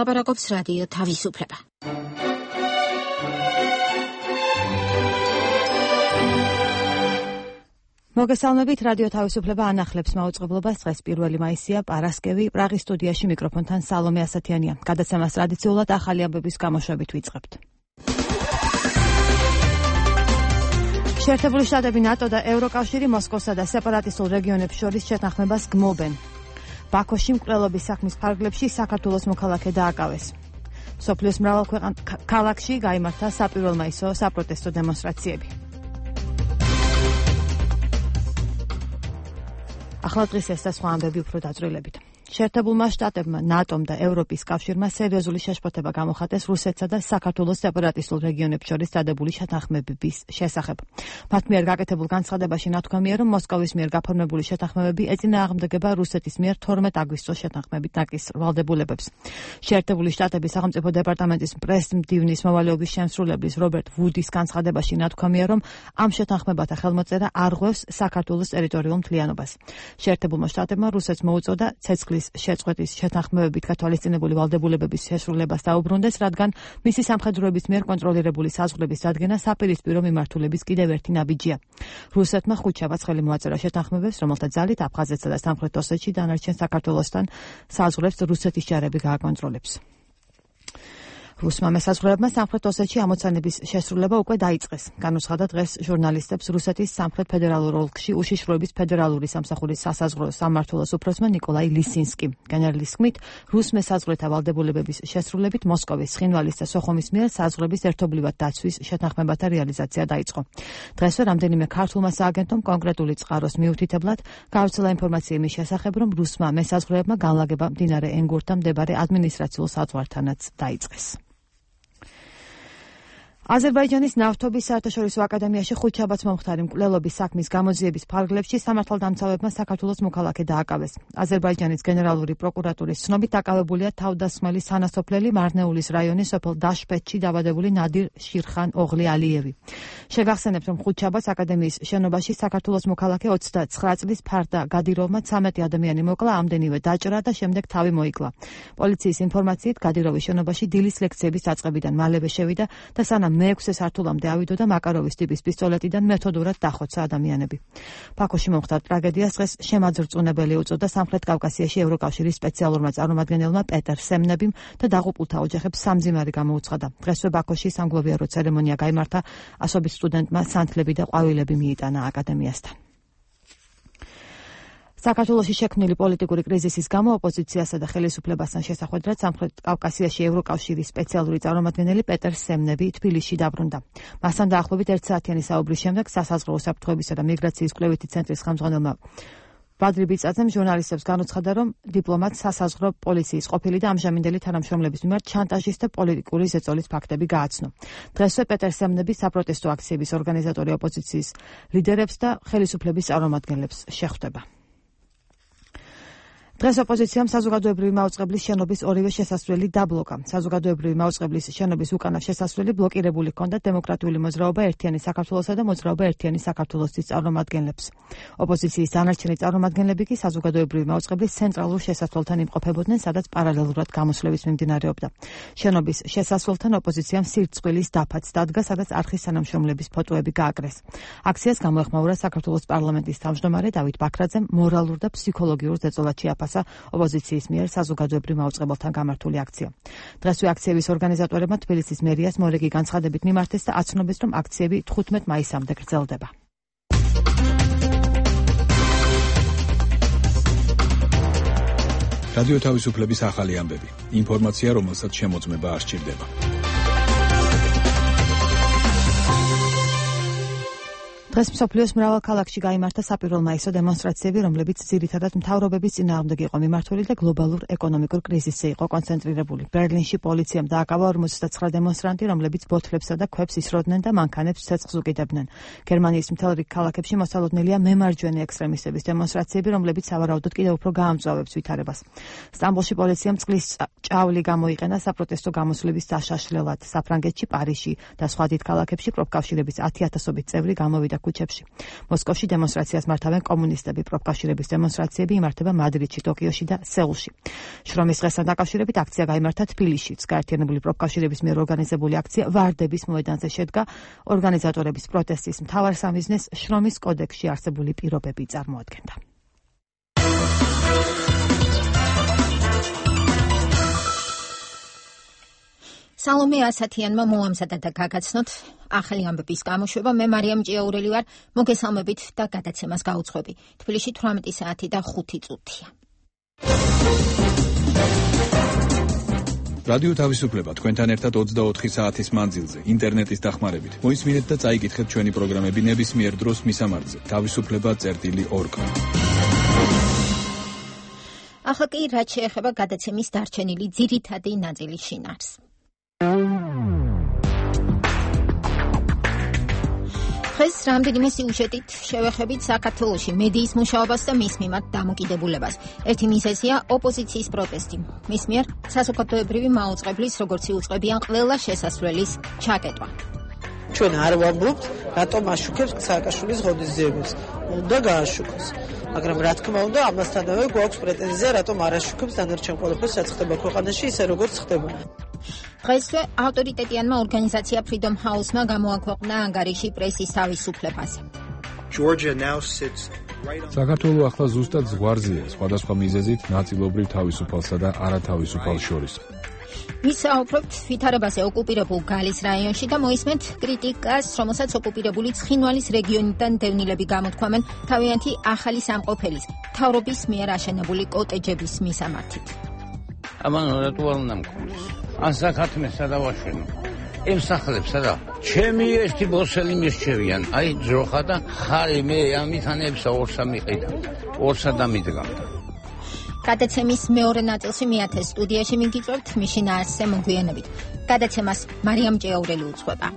ლაპარაკობს რადიო თავისუფლება. მოგესალმებით, რადიო თავისუფლება ანახლებს მაუწყებლობას. დღეს 1 მაისია, პარასკევი, პრაღის სტუდიაში მიკროფონთან სალომე ასათიანია. გადაცემას ტრადიციულად ახალი ამბების გამოშვებით ვიწყებთ. შეერთებული შტატები, ნატო და ევროკავშირი მოსკოვსა და სეპარატისტულ რეგიონებს შორის შეთანხმებას გმობენ. ბაქოში მკვლელობის საქმის ფარგლებში საქართველოს მოქალაქე დააკავეს. მსოფლიოს მრავალ ქალაქში გაიმართა საპირველ მაისო საპროტესტო დემონსტრაციები. ახლა დღის ეს და სხვა ამბები უფრო დაწვრილებით. შეერთებულმა შტატებმა, ნატომ და ევროპის კავშირმა სერიოზული შეშფოთება გამოხატეს რუსეთსა და საქართველოს სეპარატისტულ რეგიონებს შორის დადებული შეთანხმებების შესახებ. მათ მიერ გაკეთებულ განცხადებაში ნათქვამია, რომ მოსკოვის მიერ გაფორმებული შეთანხმებები ეწინააღმდეგება რუსეთის მიერ 12 აგვისტოს შეთანხმებით დაკისრ ვალდებულებებს. შეერთებული შტატების სახელმწიფო დეპარტამენტის პრეს-მდივნის მოვალეობის შემსრულებლის რობერტ ვუდის განცხადებაში ნათქვამია, რომ ამ შეთანხმებათა ხელმოწერა არ ღვევს საქართველოს ტერიტორიულ მთლიანობას. შეერთებულმა შტატებმა რუსეთს მოუწოდა ცეცხლის შეწყვეტის შეთანხმებებით გათვალისწინებული ვალდებულებების შესრულებას დაუბრუნდეს, რადგან მისი სამხედროების მიერ კონტროლირებული საზღვრების დადგენა საპირისპირო მიმართულების კიდევ ერთი ნაბიჯია. რუსეთმა ხუთშაბათს ხელი მოაწერა შეთანხმებებს, რომელთა ძალით აფხაზეთსა და სამხრეთ ოსეთში დანარჩენ საქართველოსთან საზღვრებს რუსეთის ჯარები გააკონტროლებს. რუსმა მესაზღვრეებმა სამხრეთ ოსეთში ამოცანების შესრულება უკვე დაიწყეს. განუცხადა დღეს ჟურნალისტებს რუსეთის სამხრეთ ფედერალურ ოლქში უშიშროების ფედერალური სამსახურის სასაზღვრო სამმართველოს უფროსმა ნიკოლაი ლისინსკი. გენერლის თქმით, რუს მესაზღვრეთა ვალდებულებების შესრულებით მოსკოვის, ცხინვალის და სოხუმის მიერ საზღვრების ერთობლივად დაცვის შეთანხმებათა რეალიზაცია დაიწყო. დღესვე რამდენიმე ქართულმა სააგენტომ კონკრეტული წყაროს მიუთითებლად გავრცელა ინფორმაცია იმის შესახებ, რომ რუსმა მესაზღვრეებმა განლაგება მდინარე ენგურთან მდებარე ადმინისტრაციულ საზღვართანაც დაიწყეს. აზერბაიჯანის ნავთობის საერთაშორისო აკადემიაში ხუთშაბათს მომხდარი მკვლელობის საქმის გამოძიების ფარგლებში სამართალდამცავებმა საქართველოს მოქალაქე დააკავეს. აზერბაიჯანის გენერალური პროკურატურის ცნობით დაკავებულია თავდასხმელი სანასოფლელი მარნეულის რაიონის სოფელ დაშპეთში დაბადებული ნადირ შირხან ოღლი ალიევი. შეგახსენებთ, რომ ხუთშაბათს აკადემიის შენობაში საქართველოს მოქალაქე 29 წლის ფარდა გადიროვმა 13 ადამიანი მოკლა, ამდენივე დაჭრა და შემდეგ თავი მოიკლა. პოლიციის ინფორმაციით გადიროვის შენობაში დილის ლექციების დაწყებიდან მალევე შევიდა და სანამ მე-6 სართულამდე ავიდო და მაკაროვის ტიპის პისტოლეტიდან მეთოდურად დახოცა ადამიანები. ბაქოში მომხდარ ტრაგედიას დღეს შემაძრწუნებელი უწოდა სამხრეთ კავკასიაში ევროკავშირის სპეციალურმა წარმომადგენელმა პეტერ სემნებიმ და დაღუპულთა ოჯახებს სამძიმარი გამოუცხადა. დღესვე ბაქოში სამგლოვიარო ცერემონია გაიმართა, ასობით სტუდენტმა სანთლები და ყვავილები მიიტანა აკადემიასთან. საქართველოში შექმნილი პოლიტიკური კრიზისის გამო ოპოზიციასა და ხელისუფლებასთან შესახვედრად სამხრეთ კავკასიაში ევროკავშირის სპეციალური წარმომადგენელი პეტერ სემნები თბილისში დაბრუნდა. მასთან დაახლოებით 1 საათიანი საუბრის შემდეგ სასაზღვრო უსაფრთხოებისა და მიგრაციის კვლევითი ცენტრის ხელმძღვანელმა ბადრი ბიწაძემ ჟურნალისტებს განუცხადა, რომ დიპლომატ სასაზღვრო პოლიციის ყოფილი და ამჟამინდელი თანამშრომლების მიმართ ჩანტაჟის და პოლიტიკური ზეწოლის ფაქტები გააცნო. დღესვე პეტერ სემნები საპროტესტო აქციების ორგანიზატორი ოპოზიციის ლიდერებს და ხელისუფლების წარმომადგენლებს შეხვდება. დღეს ოპოზიციამ საზოგადოებრივი მაუწყებლის შენობის ორივე შესასვლელი დაბლოკა. საზოგადოებრივი მაუწყებლის შენობის უკანა შესასვლელი ბლოკირებული ჰქონდა დემოკრატიული მოძრაობა ერთიანი საქართველოსა და მოძრაობა ერთიანი საქართველოსის წარმომადგენლებს. ოპოზიციის დანარჩენი წარმომადგენლები კი საზოგადოებრივი მაუწყებლის ცენტრალურ შესასვლელთან იმყოფებოდნენ, სადაც პარალელურად გამოსვლების მიმდინარეობდა. შენობის შესასვლელთან ოპოზიციამ სირცხვილის დაფაც დადგა, სადაც არხის თანამშრომლების ფოტოები გააკრეს. აქციას გამოეხმაურა საქართველოს პარლამენტის თავმჯდომარე დავით ბაქრაძემ, მორალურ და ფსიქოლოგიურ ზეწოლად შეაფასა ოპოზიციის მიერ საზოგადოებრივ მაუწყებელთან გამართული აქცია. დღესვე აქციების ორგანიზატორებმა თბილისის მერიას მორიგი განცხადებით მიმართეს და აცნობეს, რომ აქციები 15 მაისამდე გრძელდება. რადიო თავისუფლების ახალი ამბები. ინფორმაცია, რომელსაც შემოწმება არ სჭირდება. დღეს მსოფლიოს მრავალ ქალაქში გაიმართა საპირველ მაისო დემონსტრაციები, რომლებიც ძირითადად მთავრობების წინააღმდეგ იყო მიმართული და გლობალურ ეკონომიკურ კრიზისზე იყო კონცენტრირებული. ბერლინში პოლიციამ დააკავა 49 დემონსტრანტი, რომლებიც ბოთლებსა და ქვებს ისროდნენ და მანქანებს ცეცხლს უკიდებდნენ. გერმანიის მთელ რიგ ქალაქებში მოსალოდნელია მემარჯვენე ექსტრემისტების დემონსტრაციები, რომლებიც სავარაუდოდ კიდევ უფრო გაამწვავებს ვითარებას. სტამბოლში პოლიციამ წყლის ჭავლი გამოიყენა საპროტესტო გამოსვლების დაშაშლელად. საფრანგეთში, პარიზში და სხვა დიდ ქალაქებში პროფკავშირების 10,000-ობით წევრი გამოვიდა ქუჩებში. მოსკოვში დემონსტრაციას მართავენ კომუნისტები, პროფკავშირების დემონსტრაციები იმართება მადრიდში, ტოკიოში და სეულში. შრომის დღესთან დაკავშირებით აქცია გაიმართა თბილისშიც. გაერთიანებული პროფკავშირების მიერ ორგანიზებული აქცია ვარდების მოედანზე შედგა. ორგანიზატორების პროტესტის მთავარ სამიზნეს შრომის კოდექსში არსებული პირობები წარმოადგენდა. სალომე ასათიანმა მოამზადა და გაგაცნოთ ახალი ამბების გამოშვება. მე მარიამ ჭიაურელი ვარ, მოგესალმებით და გადაცემას გაუძღვები. თბილისში 18 საათი და 5 წუთია. რადიო თავისუფლება თქვენთან ერთად 24 საათის მანძილზე, ინტერნეტის დახმარებით. მოისმინეთ და წაიკითხეთ ჩვენი პროგრამები ნებისმიერ დროს მისამართზე. თავისუფლება.org. ახლა კი რაც შეეხება გადაცემის დარჩენილი ძირითადი ნაწილის შინაარს. დღეს რამდენიმე სიუჟეტით შევეხებით საქართველოში მედიის მუშაობას და მის მიმართ დამოკიდებულებას. ერთი მიზეზია ოპოზიციის პროტესტი. მის მიერ საზოგადოებრივი მაუწყებლის, როგორც იუწყებიან ყველა შესასვლელის ჩაკეტვა. ჩვენ არ ვამბობთ, რატომ აშუქებს სააკაშვილის ღონისძიებებს. უნდა გააშუქოს. მაგრამ რა თქმა უნდა, ამასთანავე გვაქვს პრეტენზია, რატომ არ აშუქებს დანარჩენ ყველაფერს, რაც ხდება ქვეყანაში, ისე როგორც ხდება. დღესვე ავტორიტეტიანმა ორგანიზაცია Freedom House-მა გამოაქვეყნა ანგარიში პრესის თავისუფლებაზე. საქართველო ახლა ზუსტად ზღვარზეა, სხვადასხვა მიზეზით ნაწილობრივ თავისუფალსა და არათავისუფალს შორის. ვისაუბრებთ ვითარებაზე ოკუპირებულ გალის რაიონში და მოისმენთ კრიტიკას, რომელსაც ოკუპირებული ცხინვალის რეგიონიდან დევნილები გამოთქვამენ თავიანთი ახალი სამყოფელის, მთავრობის მიერ აშენებული კოტეჯების მისამართით. ამან რატო არ უნდა მქონდეს? ან საქართველოსა დავაშენო. ემსახლებსა და ჩემი ერთი ბოსელი მისჩევიან, აი ძროხა და ხარი მე ამითანებსა ორსა მიყიდა. ორსა დამიდგამდა. გადაცემის მეორე ნაწილში მეათე სტუდიაში მიგიწევთ მიშინ არსზე მოგვიანებით. გადაცემას მარიამ ჭიაურელი უძღვება.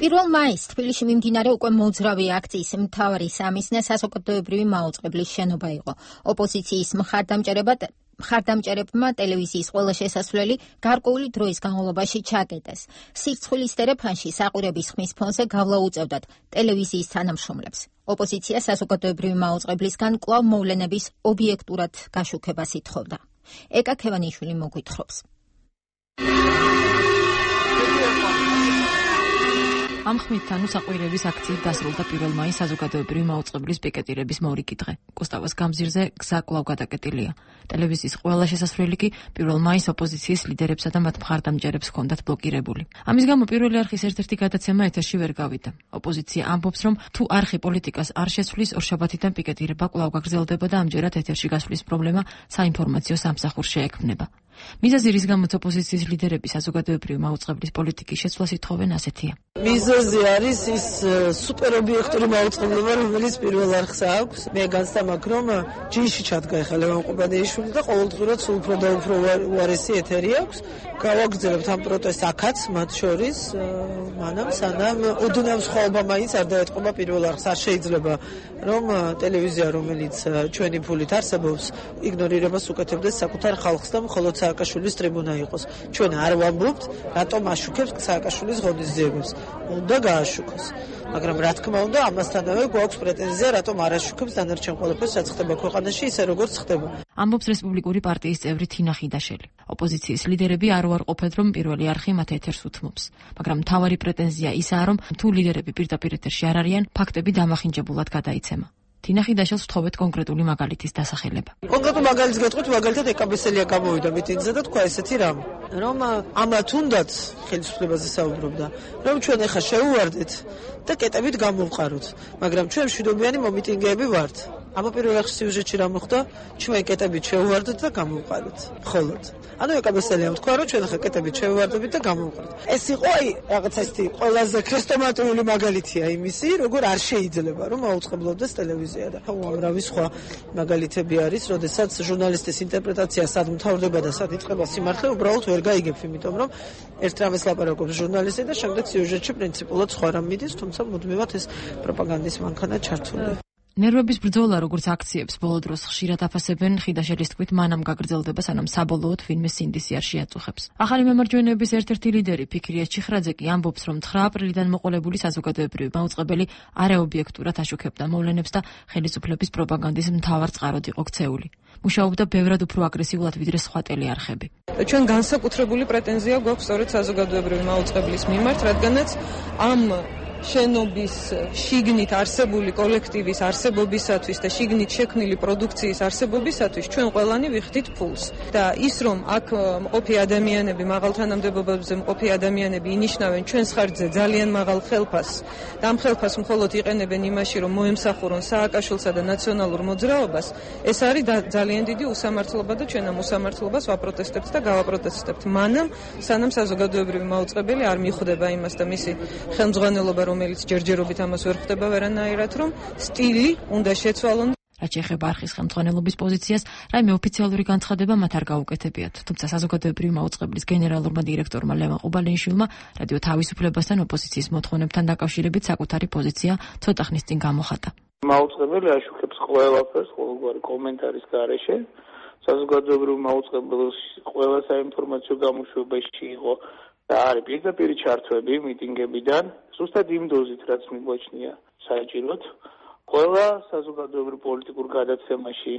პირველ მაისს თბილისში მიმდინარე უკვე მოძრავი აქციის მთავარი სამიზნე საზოგადოებრივი მაუწყებლის შენობა იყო. ოპოზიციის მხარდამჭერებმა ტელევიზიის ყველა შესასვლელი გარკვეული დროის განმავლობაში ჩაკეტეს. სირცხვილის ტელეფონში საყვირების ხმის ფონზე გავლა უწევდათ ტელევიზიის თანამშრომლებს. ოპოზიცია საზოგადოებრივი მაუწყებლისგან კვლავ მოვლენების ობიექტურად გაშუქებას ითხოვდა. ეკა ქევანიშვილი მოგვითხრობს. ამ ხმით ანუ საყვირების აქციით დასრულდა 1 მაისს საზოგადოებრივი მაუწყებლის პიკეტირების მორიგი დღე. კუსტავას გამზირზე გზა კვლავ გადაკეტილია. ტელევიზიის ყველა შესასვლელი კი 1 მაისს ოპოზიციის ლიდერებსა და მათ მხარდამჭერებს ჰქონდათ ბლოკირებული. ამის გამო პირველი არხის ერთ-ერთი გადაცემა ეთერში ვერ გავიდა. ოპოზიცია ამბობს, რომ თუ არხი პოლიტიკას არ შეცვლის, ორშაბათიდან პიკეტირება კვლავ გაგრძელდება და ამჯერად ეთერში გასვლის პრობლემა საინფორმაციო სამსახურს შეექმნება. მიზეზი, რის გამოც ოპოზიციის ლიდერები საზოგადოებრივი მაუწყებლის პოლიტიკის შეცვლას ითხოვენ, ასეთია. მიზეზი არის ის სუპერობიექტური მაუწყებლობა, რომელიც პირველ არხს აქვს. მე განცდა მაქვს, რომ ჯიში ჩადგა ეხლა ლევან ყუბანეიშვილი და ყოველდღურად სულ უფრო და უფრო უარესი ეთერი აქვს. გავაგრძელებთ ამ პროტესტს აქაც, მათ შორის, მანამ სანამ ოდნავ სხვაობა მაინც არ დაეთყობა პირველ არხს. არ შეიძლება, რომ ტელევიზია, რომელიც ჩვენი ფულით არსებობს, იგნორირებას უკეთებდეს საკუთარ ხალხს და მხოლოდ სააკაშვილის ტრიბუნა იყოს. ჩვენ არ ვამბობთ, რატომ აშუქებს სააკაშვილის ღონისძიებებს. უნდა გააშუქოს. მაგრამ რა თქმა უნდა, ამასთანავე გვაქვს პრეტენზია, რატომ არ აშუქებს დანარჩენ ყველაფერს, რაც ხდება ქვეყანაში, ისე როგორც ხდება. ამბობს რესპუბლიკური პარტიის წევრი თინა ხიდაშელი. ოპოზიციის ლიდერები არ უარყოფენ, რომ პირველი არხი მათ ეთერს უთმობს. მაგრამ მთავარი პრეტენზია ისაა, რომ თუ ლიდერები პირდაპირ ეთერში არ არიან, ფაქტები დამახინჯებულად გადაიცემა. თინა ხიდაშელს ვთხოვეთ კონკრეტული მაგალითის დასახელება. კონკრეტულ მაგალითს გეტყვით, მაგალითად ეკაბესელია გამოვიდა მიტინგზე და თქვა ესეთი რამ, რომ ამათ უნდათ ხელისუფლებაზე საუბრობდა, რომ ჩვენ ახლა შევუვარდეთ და კეტებით გამოვყაროთ, მაგრამ ჩვენ მშვიდობიანი მომიტინგეები ვართ. აბა პირველ რიგში სიუჟეტში რა მოხდა? ჩვენ კეტებით შევუვარდეთ და გამოვყაროთ. მხოლოდ. ანუ ეკაბესელიამ თქვა, რომ ჩვენ ახლა კეტებით შევუვარდებით და გამოვყაროთ. ეს იყო აი რაღაც ესეთი ყველაზე ქრესტომატიული მაგალითია იმისი, როგორ არ შეიძლება რომ აუწყებლობდეს ტელევიზია და უამრავი სხვა მაგალითები არის, როდესაც ჟურნალისტის ინტერპრეტაცია სად მთავრდება და სად იწყება სიმართლე, უბრალოდ ვერ გაიგებს, იმიტომ რომ ერთ რამეს ლაპარაკობს ჟურნალისტი და შემდეგ სიუჟეტში პრინციპულად სხვა რამ მიდის, თუმცა მუდმივად ეს პროპაგანდის მანქანა ჩართულია. ნერვების ბრძოლა, როგორც აქციებს ბოლო დროს ხშირად აფასებენ, ხიდაშელის თქმით, მანამ გაგრძელდება, სანამ საბოლოოდ ვინმე სინდისიარში აწუხებს. ახალი მემარჯვენეების ერთ-ერთი ლიდერი ფიქრია ჩიხრაძე კი ამბობს, რომ 9 აპრილიდან მოყოლებული საზოგადოებრივი მაუწყებელი არაობიექტურად აშუქებდა მოვლენებს და ხელისუფლების პროპაგანდის მთავარ წყაროდ იყო ქცეული. მუშაობდა ბევრად უფრო აგრესიულად ვიდრე სხვა ტელეარხები. ჩვენ განსაკუთრებული პრეტენზია გვაქვს სწორედ საზოგადოებრივი მაუწყებლის მიმართ, რადგანაც ამ შენობის შიგნით არსებული კოლექტივის არსებობისათვის და შიგნით შექმნილი პროდუქციის არსებობისათვის ჩვენ ყველანი ვიხდით ფულს. და ის რომ აქ მყოფი ადამიანები, მაღალ თანამდებობებზე მყოფი ადამიანები ინიშნავენ ჩვენს ხარჯზე ძალიან მაღალ ხელფასს და ამ ხელფასს მხოლოდ იყენებენ იმაში, რომ მოემსახურონ სააკაშვილსა და ნაციონალურ მოძრაობას, ეს არის ძალიან დიდი უსამართლობა და ჩვენ ამ უსამართლობას ვაპროტესტებთ და გავაპროტესტებთ. მანამ სანამ საზოგადოებრივი მაუწყებელი არ მიხვდება იმას და მისი ხელმძღვანელობა რომელიც ჯერჯერობით ამას ვერ ხდება ვერანაირად, რომ სტილი უნდა შეცვალონ. რაც შეეხება არხის ხელმძღვანელობის პოზიციას, რაიმე ოფიციალური განცხადება მათ არ გაუკეთებიათ. თუმცა საზოგადოებრივი მაუწყებლის გენერალურმა დირექტორმა ლევან ყუბალინიშვილმა რადიო თავისუფლებასთან ოპოზიციის მოთხოვნებთან დაკავშირებით საკუთარი პოზიცია ცოტა ხნის წინ გამოხატა. მაუწყებელი აშუქებს ყველაფერს, ყოველგვარი კომენტარის გარეშე. საზოგადოებრივი მაუწყებლის ყველა საინფორმაციო გამოშვებაში იყო და არის პირდაპირი ჩართვები მიტინგებიდან, ზუსტად იმ დოზით, რაც მიგვაჩნია საჭიროდ. ყველა საზოგადოებრივ პოლიტიკურ გადაცემაში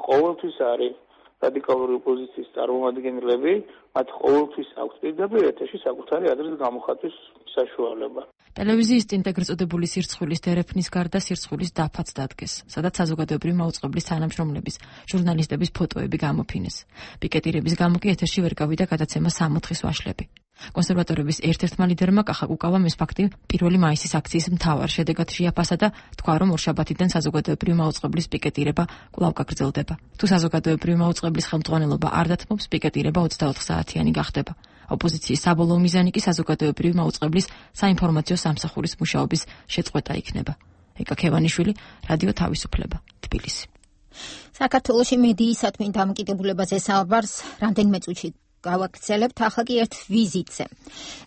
ყოველთვის არის რადიკალური ოპოზიციის წარმომადგენლები, მათ ყოველთვის აქვს პირდაპირ ეთერში საკუთარი ადრესის გამოხატვის საშუალება. ტელევიზიის წინ ეგრეთ წოდებული სირცხვილის დერეფნის გარდა სირცხვილის დაფაც დადგეს, სადაც საზოგადოებრივი მაუწყებლის თანამშრომლების, ჟურნალისტების ფოტოები გამოფინეს. პიკეტირების გამო კი ეთერში ვერ გავიდა გადაცემა 60-ის ვაშლები. კონსერვატორების ერთ-ერთმა ლიდერმა კახა კუკავამ ეს ფაქტი 1 მაისის აქციის მთავარ შედეგად შეაფასა და თქვა, რომ ორშაბათიდან საზოგადოებრივი მაუწყებლის პიკეტირება კვლავ გაგრძელდება. თუ საზოგადოებრივი მაუწყებლის ხელმძღვანელობა არ დათმობს, პიკეტირება 24 საათიანი გახდება. ოპოზიციის საბოლოო მიზანი კი საზოგადოებრივი მაუწყებლის საინფორმაციო სამსახურის მუშაობის შეწყვეტა იქნება. ეკა ქევანიშვილი, რადიო თავისუფლება, თბილისი. საქართველოში მედიისადმი დამოკიდებულებაზე საუბარს რამდენიმე წუთში გავაგრძელებთ, ახლა კი ერთ ვიზიტზე.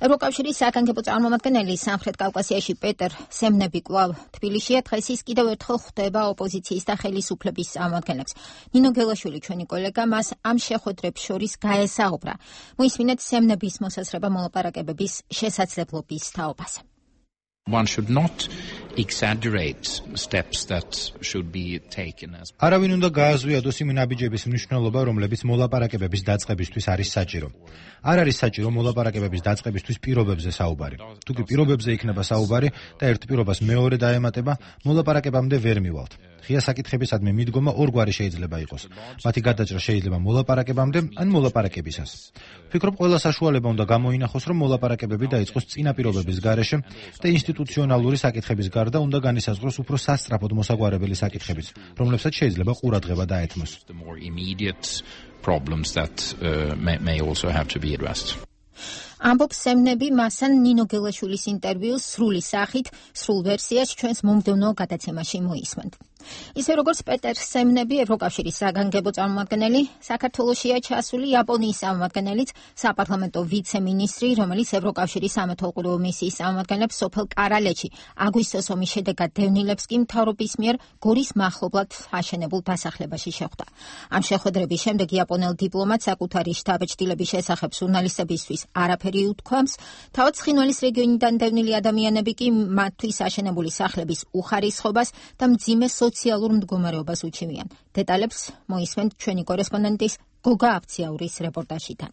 ევროკავშირის საგანგებო წარმომადგენელი სამხრეთ კავკასიაში პეტერ სემნები კვლავ თბილისშია. დღეს ის კიდევ ერთხელ ხვდება ოპოზიციის და ხელისუფლების წარმომადგენლებს. ნინო გელაშვილი, ჩვენი კოლეგა, მას ამ შეხვედრებს შორის გაესაუბრა. მოისმინეთ სემნების მოსაზრება მოლაპარაკებების შესაძლებლობის თაობაზე. One should not exaggerate steps that should be taken as. არავინ უნდა გააზვიადოს იმ ნაბიჯების მნიშვნელობა, რომლებიც მოლაპარაკებების დაწყებისთვის არის საჭირო. არ არის საჭირო მოლაპარაკებების დაწყებისთვის პირობებზე საუბარი. თუ კი პირობებზე იქნება საუბარი და ერთ პირობას მეორე დაემატება, მოლაპარაკებამდე ვერ მივალთ. ღია საკითხებისადმი მიდგომა ორგვარი შეიძლება იყოს. მათი გადაჭრა შეიძლება მოლაპარაკებამდე, ან მოლაპარაკებისას. ვფიქრობ, ყველა საშუალება უნდა გამოინახოს, რომ მოლაპარაკებები დაიწყოს წინა პირობების გარეშე და ინსტიტუციონალური საკითხების გარდა უნდა განისაზღვროს უფრო სასწრაფოდ მოსაგვარებელი საკითხებიც, რომლებსაც შეიძლება ყურადღება დაეთმოს. Problems that may also have to be addressed. ამბობს სემნები მასან ნინო გელაშვილის ინტერვიუს სრული სახით, სრულ ვერსიას ჩვენს მომდევნო გადაცემაში მოისმენთ. ისე როგორც პეტერ სემნები, ევროკავშირის საგანგებო წარმომადგენელი, საქართველოშია ჩასული იაპონიის წარმომადგენელიც, საპარლამენტო ვიცე-მინისტრი, რომელიც ევროკავშირის სამეთვალყურეო მისიის წარმომადგენლებს სოფელ კარალეთში აგვისტოს ომის შედეგად დევნილებს კი მთავრობის მიერ გორის მახლობლად აშენებულ დასახლებაში შეხვდა. ამ შეხვედრების შემდეგ იაპონელ დიპლომატს საკუთარი შთაბეჭდილების შესახებ ჟურნალისტებისთვის არაფერი უთქვამს, თავად ცხინვალის რეგიონიდან დევნილი ადამიანები კი მათთვის აშენებული სახლების უხარისხობას და მძიმე სოციალურ მდგომარეობას უჩივიან. დეტალებს მოისმენთ ჩვენი კორესპონდენტის გოგა აფციაურის რეპორტაჟიდან.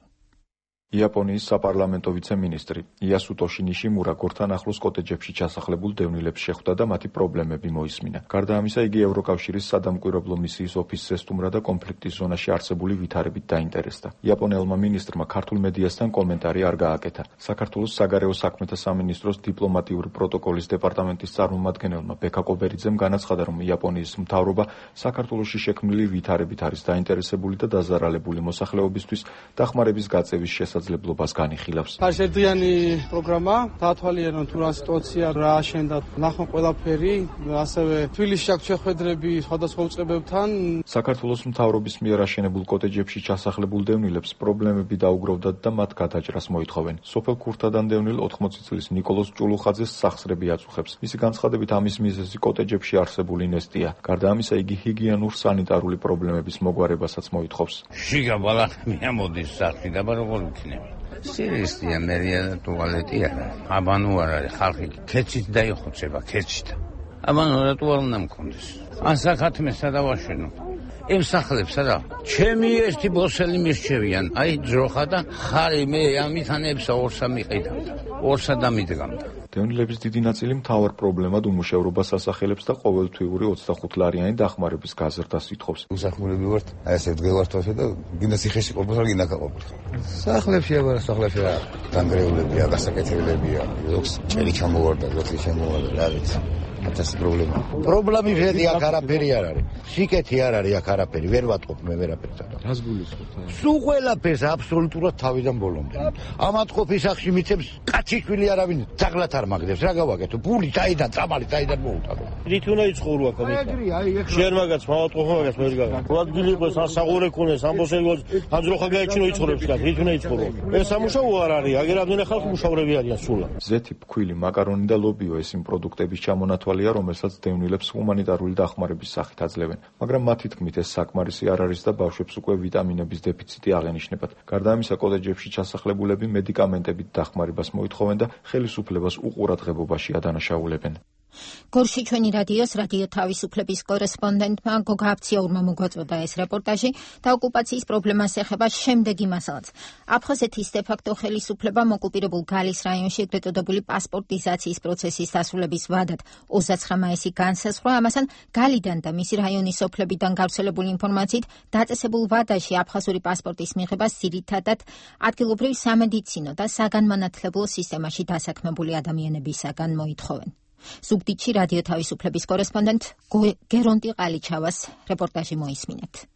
იაპონიის საპარლამენტო ვიცე-მინისტრი იასუტო შინიშიმურა გორთან ახლოს კოტეჯებში ჩასახლებულ დევნილებს შეხვდა და მათი პრობლემები მოისმინა. გარდა ამისა, იგი ევროკავშირის სადამკვირვებლო მისიის ოფისს ესტუმრა და კონფლიქტის ზონაში არსებული ვითარებით დაინტერესდა. იაპონელმა მინისტრმა ქართულ მედიასთან კომენტარი არ გააკეთა. საქართველოს საგარეო საქმეთა სამინისტროს დიპლომატიური პროტოკოლის დეპარტამენტის წარმომადგენელმა ბექა კობერიძემ განაცხადა, რომ იაპონიის მთავრობა საქართველოში შექმნილი ვითარებით არის დაინტერესებული და დაზარალებული მოსახლეობისთვის დახმარების გაწევის შესაძლებლობით შესაძლებლობას განიხილავს. Შეერთიანი პროგრამა დაათვალიერონ თუ რა სიტუაცია რა აშენდა ნახონ ყველაფერი, ასევე თბილისში აქვს შეხვედრები სხვადასხვა უწყებებთან. საქართველოს მთავრობის მიერ აშენებულ კოტეჯებში ჩასახლებულ დევნილებს პრობლემები დაუგროვდათ და მათ გადაჭრას მოითხოვენ. სოფელ ქურთადან დევნილ 80 წლის ნიკოლოზ ჭულუხაძეს სახსრები აწუხებს. მისი განცხადებით ამის მიზეზი კოტეჯებში არსებული ნესტია. გარდა ამისა იგი ჰიგიენურ სანიტარული პრობლემების მოგვარებასაც მოითხოვს. შიგა ბალახი ამოდის სახში და როგორ იქნება? სირისტია მერია და ტუალეტი არა. აბანო არ არის ხალხი ქეჩით დაიხოცება ქეჩით. აბანო რა ტუალეტი არ მქონდეს. ან საქათმესა დავაშენო. ემსახლებსა და ჩემი ერთი ბოსელი მისჩევიან. აი ძროხა და ხარი მე ამითანებსა ორსა მიყიდავდა. ორსა დამიდგამდა. დევნილების დიდი ნაწილი მთავარ პრობლემად უმუშევრობას ასახელებს და ყოველთვიური 25 ლარიანი დახმარების გაზრდას ითხოვს. უსახმელები ვართ, აი ესე დგევართვაში და გინდა ციხეში ყოფილ ხარ, გინდა ყოფილ. სახლებში აბა სახლებში რა დანგრეულებია, გასაკეთებლებია, ლოქს ჭერი ჩამოვარდა, ლოქი ჩამოვარდა, რა ვიცი. ათას პრობლემა. პრობლემი შედი აქ არაფერი არ არის. სიკეთი არ არის აქ არაფერი, ვერ ვატყობ მე ვერაფერს. რას გულისხმობთ? სულ ყველაფერს აბსოლუტურად თავიდან ბოლომდე. ამათ ყოფის სახში მიცემს კაციშვილი არავინ ძაღლად არ მაგდებს. რა გავაკეთო? ფული დაიდან, წამალი დაიდან მოუტადო. რით უნდა იცხოვრო აქ ამით? შენ მაგაც მავატყობ მაგაც მე ვიგავ. რადგან იყოს ან საღურე ქონეს, ამ ბოსელგოს, ან ძროხა გაიჩინო იცხოვრებს აქ. რით უნდა იცხოვრო? ეს სამუშაო არ არის. აგერ ამდენი ხალხი მუშავრები არიან სულა. ზეთი, ფქვილი, მაკარონი და ლობიო ეს იმ პროდუქტების ჩამონათვალია, რომელსაც დევნილებს ჰუმანიტარული დახმარების სახით აძლევენ. მაგრამ მათი თქმით ეს საკმარისი არ არის და ბავშვებს უკვე ვიტამინების დეფიციტი აღენიშნებათ. გარდა ამისა, კოტეჯებში ჩასახლებულები მედიკამენტებით დახმარებას მოითხოვენ და ხელისუფლებას უყურადღებობაში ადანაშაულებენ. გორში ჩვენი რადიოს რადიო თავისუფლების კორესპონდენტმა გოგა აფციაურმა მოგვაწოდა ეს რეპორტაჟი და ოკუპაციის პრობლემას ეხება შემდეგი მასალაც. აფხაზეთის დე-ფაქტო ხელისუფლებამ ოკუპირებულ გალის რაიონში ეგრეთ წოდებული პასპორტიზაციის პროცესის დასრულების ვადად 29 მაისი განსაზღვრა, ამასთან გალიდან და მისი რაიონის სოფლებიდან გავრცელებული ინფორმაციით დაწესებულ ვადაში აფხაზური პასპორტის მიღებას ძირითადად ადგილობრივ სამედიცინო და საგანმანათლებლო სისტემაში დასაქმებული ადამიანებისაგან მოითხოვენ. ზუგდიდში რადიო თავისუფლების კორესპონდენტ გერონტი ყალიჩავას რეპორტაჟი მოისმინეთ.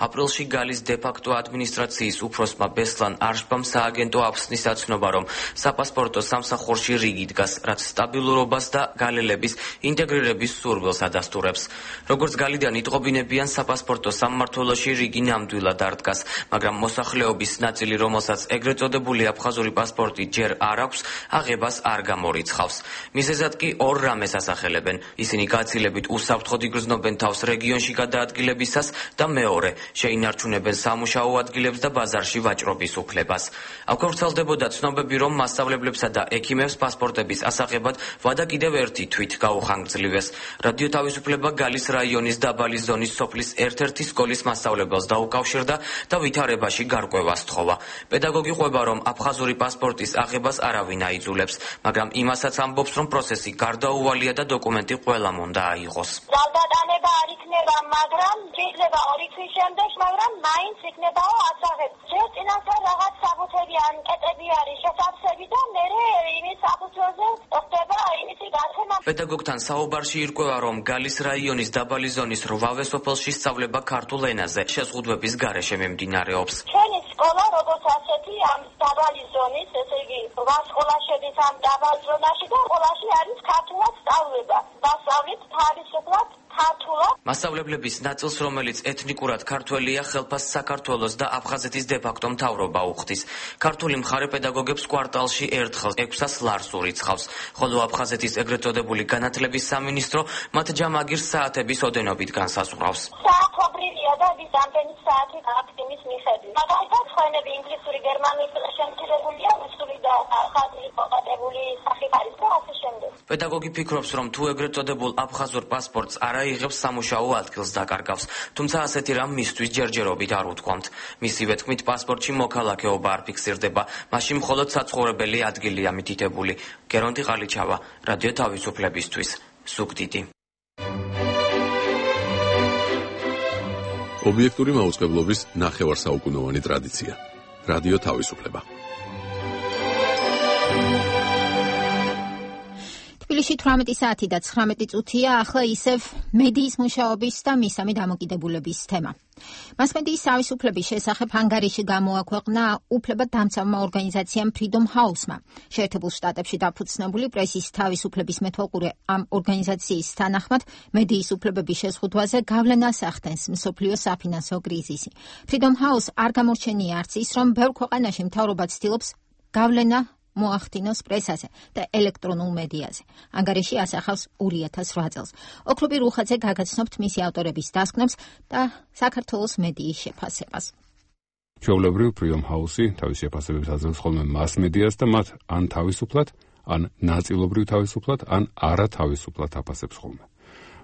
აპრილში გალის დე-ფაქტო ადმინისტრაციის უფროსმა ბესლან არშბამ სააგენტო აფსნის აცნობა, რომ საპასპორტო სამსახურში რიგი დგას, რაც სტაბილურობას და გალელების ინტეგრირების სურვილს ადასტურებს. როგორც გალიდან იტყობინებიან, საპასპორტო სამმართველოში რიგი ნამდვილად არ დგას, მაგრამ მოსახლეობის ნაწილი, რომელსაც ეგრეთ წოდებული აფხაზური პასპორტი ჯერ არ აქვს, აღებას არ გამორიცხავს. მიზეზად კი ორ რამეს ასახელებენ. ისინი გაცილებით უსაფრთხოდ იგრძნობენ თავს რეგიონში გადაადგილებისას და მეორე შეინარჩუნებენ სამუშაო ადგილებს და ბაზარში ვაჭრობის უფლებას. აქ ვრცელდებოდა ცნობები, რომ მასწავლებლებსა და ექიმებს პასპორტების ასაღებად ვადა კიდევ ერთი თვით გაუხანგრძლივეს. რადიო თავისუფლება გალის რაიონის დაბალი ზონის სოფლის ერთ-ერთი სკოლის მასწავლებელს დაუკავშირდა და ვითარებაში გარკვევას სთხოვა. პედაგოგი ყვება, რომ აფხაზური პასპორტის აღებას არავინ აიძულებს, მაგრამ იმასაც ამბობს, რომ პროცესი გარდაუვალია და დოკუმენტი ყველამ უნდა აიღოს. ძალდატანება არ იქნება, მაგრამ შეიძლება 2 თვის შემდეგ, მაგრამ მაინც იქნებაო ასაღები. ჯერ წინასწარ რაღაც საბუთები ან კეტები არის შესაძლებელი და მერე იმის საფუძველზე ხდება იმისი გაცემა. პედაგოგთან საუბარში ირკვევა, რომ გალის რაიონის დაბალი ზონის 8 სოფელში სწავლება ქართულ ენაზე შეზღუდვების გარეშე მიმდინარეობს. ჩვენი სკოლა როგორც ასეთი ამ დაბალი ზონის, ესე იგი 8 სკოლა შედის ამ დაბალ ზონაში და სკოლაში არის ქართულად სწავლება. დასავლით თავისუფლად ქართულად. მასწავლებლების ნაწილს, რომელიც ეთნიკურად ქართველია, ხელფას საქართველოს და აფხაზეთის დე-ფაქტო მთავრობა უხდის. ქართული მხარე პედაგოგებს კვარტალში ერთხელ 600 ლარს ურიცხავს, ხოლო აფხაზეთის ეგრეთ წოდებული განათლების სამინისტრო მათ ჯამაგირს საათების ოდენობით განსაზღვრავს. საათობრივია და ვის ამდენი საათი გაქვთ იმის მიხედვით. მაგალითად, ხვენები ინგლისური, გერმანული შემცირებულია, რუსული და ხაზი მოყადებული სახით არის და ასე შემდეგ. პედაგოგი ფიქრობს, რომ თუ ეგრეთ წოდებულ აფხაზურ პასპორტს არ აიღებს, სამუშაო ადგილს დაკარგავს, თუმცა ასეთი რამ მისთვის ჯერჯერობით არ უთქვამთ. მისივე თქმით, პასპორტში მოქალაქეობა არ ფიქსირდება, მაშინ მხოლოდ საცხოვრებელი ადგილია მითითებული. გერონტი ყალიჩავა, რადიო თავისუფლებისთვის, ზუგდიდი. ობიექტური მაუწყებლობის ნახევარსაუკუნოვანი ტრადიცია. რადიო თავისუფლება. თბილისში 18 საათი და 19 წუთია, ახლა ისევ მედიის მუშაობის და მისამე დამოკიდებულების თემა. მასმედიის თავისუფლების შესახებ ანგარიში გამოაქვეყნა უფლებადამცავმა ორგანიზაციამ Freedom House-მა. შეერთებულ შტატებში დაფუძნებული პრესის თავისუფლების მეთვალყურე ამ ორგანიზაციის თანახმად მედიის უფლებების შეზღუდვაზე გავლენას ახდენს მსოფლიო საფინანსო კრიზისი. Freedom House არ გამორჩენია არც ის, რომ ბევრ ქვეყანაში მთავრობა ცდილობს გავლენა მოახდინოს პრესაზე და ელექტრონულ მედიაზე. ანგარიში ასახავს 2008 წელს. ოქრობი რუხაძე გაგაცნობთ მისი ავტორების დასკვნებს და საქართველოს მედიის შეფასებას. ჩვეულებრივ Freedom House-ი თავის შეფასებებს აძლევს ხოლმე მასმედიას და მათ ან თავისუფლად, ან ნაწილობრივ თავისუფლად, ან არათავისუფლად აფასებს ხოლმე.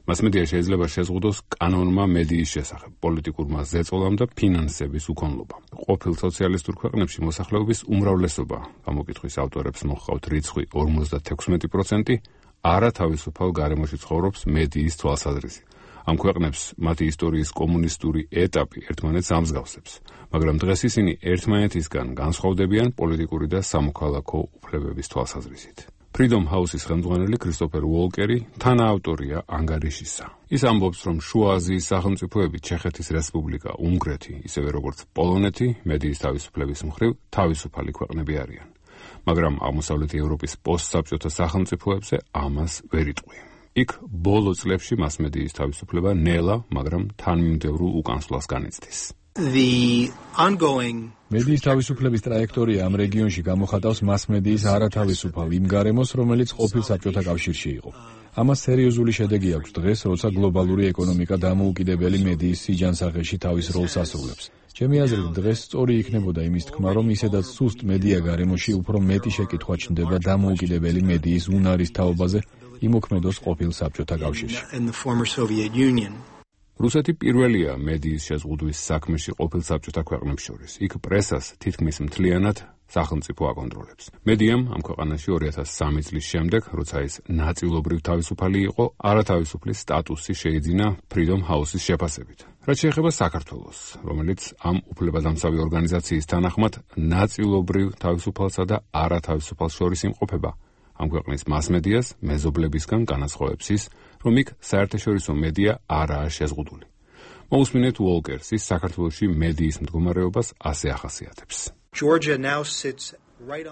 მასმედია შეიძლება შეზღუდოს კანონმა მედიის შესახებ, პოლიტიკურმა ზეწოლამ და ფინანსების უკონლობამ. ყოფილ სოციალისტურ ქვეყნებში მოსახლეობის უმრავლესობა, გამოკითხვის ავტორებს მოჰყავთ რიცხვი 56%, არათავისუფალ გარემოში ცხოვრობს მედიის თვალსაზრისით. ამ ქვეყნებს მათი ისტორიის კომუნისტური ეტაპი ერთმანეთს ამსგავსებს, მაგრამ დღეს ისინი ერთმანეთისგან განსხვავდებიან პოლიტიკური და სამოქალაქო უფლებების თვალსაზრისით. Freedom House-ის ხელმძღვანელი კრისტოფერ უოლკერი თანაავტორია ანგარიშისა. ის ამბობს, რომ შუა აზიის სახელმწიფოები ჩეხეთის რესპუბლიკა, უნგრეთი, ისევე როგორც პოლონეთი, მედიის თავისუფლების მხრივ თავისუფალი ქვეყნები არიან. მაგრამ აღმოსავლეთი ევროპის პოსტსაბჭოთა სახელმწიფოებზე ამას ვერ იტყვი. იქ ბოლო წლებში მასმედიის თავისუფლება ნელა, მაგრამ თანმიმდევრულ უკანსვლას განიცდის. მედიის თავისუფლების ტრაექტორია ამ რეგიონში გამოხატავს მასმედიის არათავისუფალ იმ გარემოს, რომელიც ყოფილ საბჭოთა კავშირში იყო. ამას სერიოზული შედეგი აქვს დღეს, როცა გლობალური ეკონომიკა დამოუკიდებელი მედიის სიჯანსაღეში თავის როლს ასრულებს. ჩემი აზრით, დღეს სწორი იქნებოდა იმის თქმა, რომ ისედაც სუსტ მედია გარემოში უფრო მეტი შეკითხვა ჩნდება დამოუკიდებელი მედიის უნარის თაობაზე იმოქმედოს ყოფილ საბჭოთა კავშირში. რუსეთი პირველია მედიის შეზღუდვის საქმეში ყოფილ საბჭოთა ქვეყნებს შორის. იქ პრესას თითქმის მთლიანად სახელმწიფო აკონტროლებს. მედიამ ამ ქვეყანაში 2003 წლის შემდეგ, როცა ის ნაწილობრივ თავისუფალი იყო, არათავისუფლის სტატუსი შეიძინა Freedom House-ის შეფასებით. რაც შეეხება საქართველოს, რომელიც ამ უფლებადამცავი ორგანიზაციის თანახმად ნაწილობრივ თავისუფალსა და არათავისუფალს შორის იმყოფება, ამ ქვეყნის მასმედიას მეზობლებისგან განასხვავებს ის, რომ იქ საერთაშორისო მედია არაა შეზღუდული. მოусმინეთ უოლკერს, ის საქართველოში მედიის მდგომარეობას ასე ახასიათებს.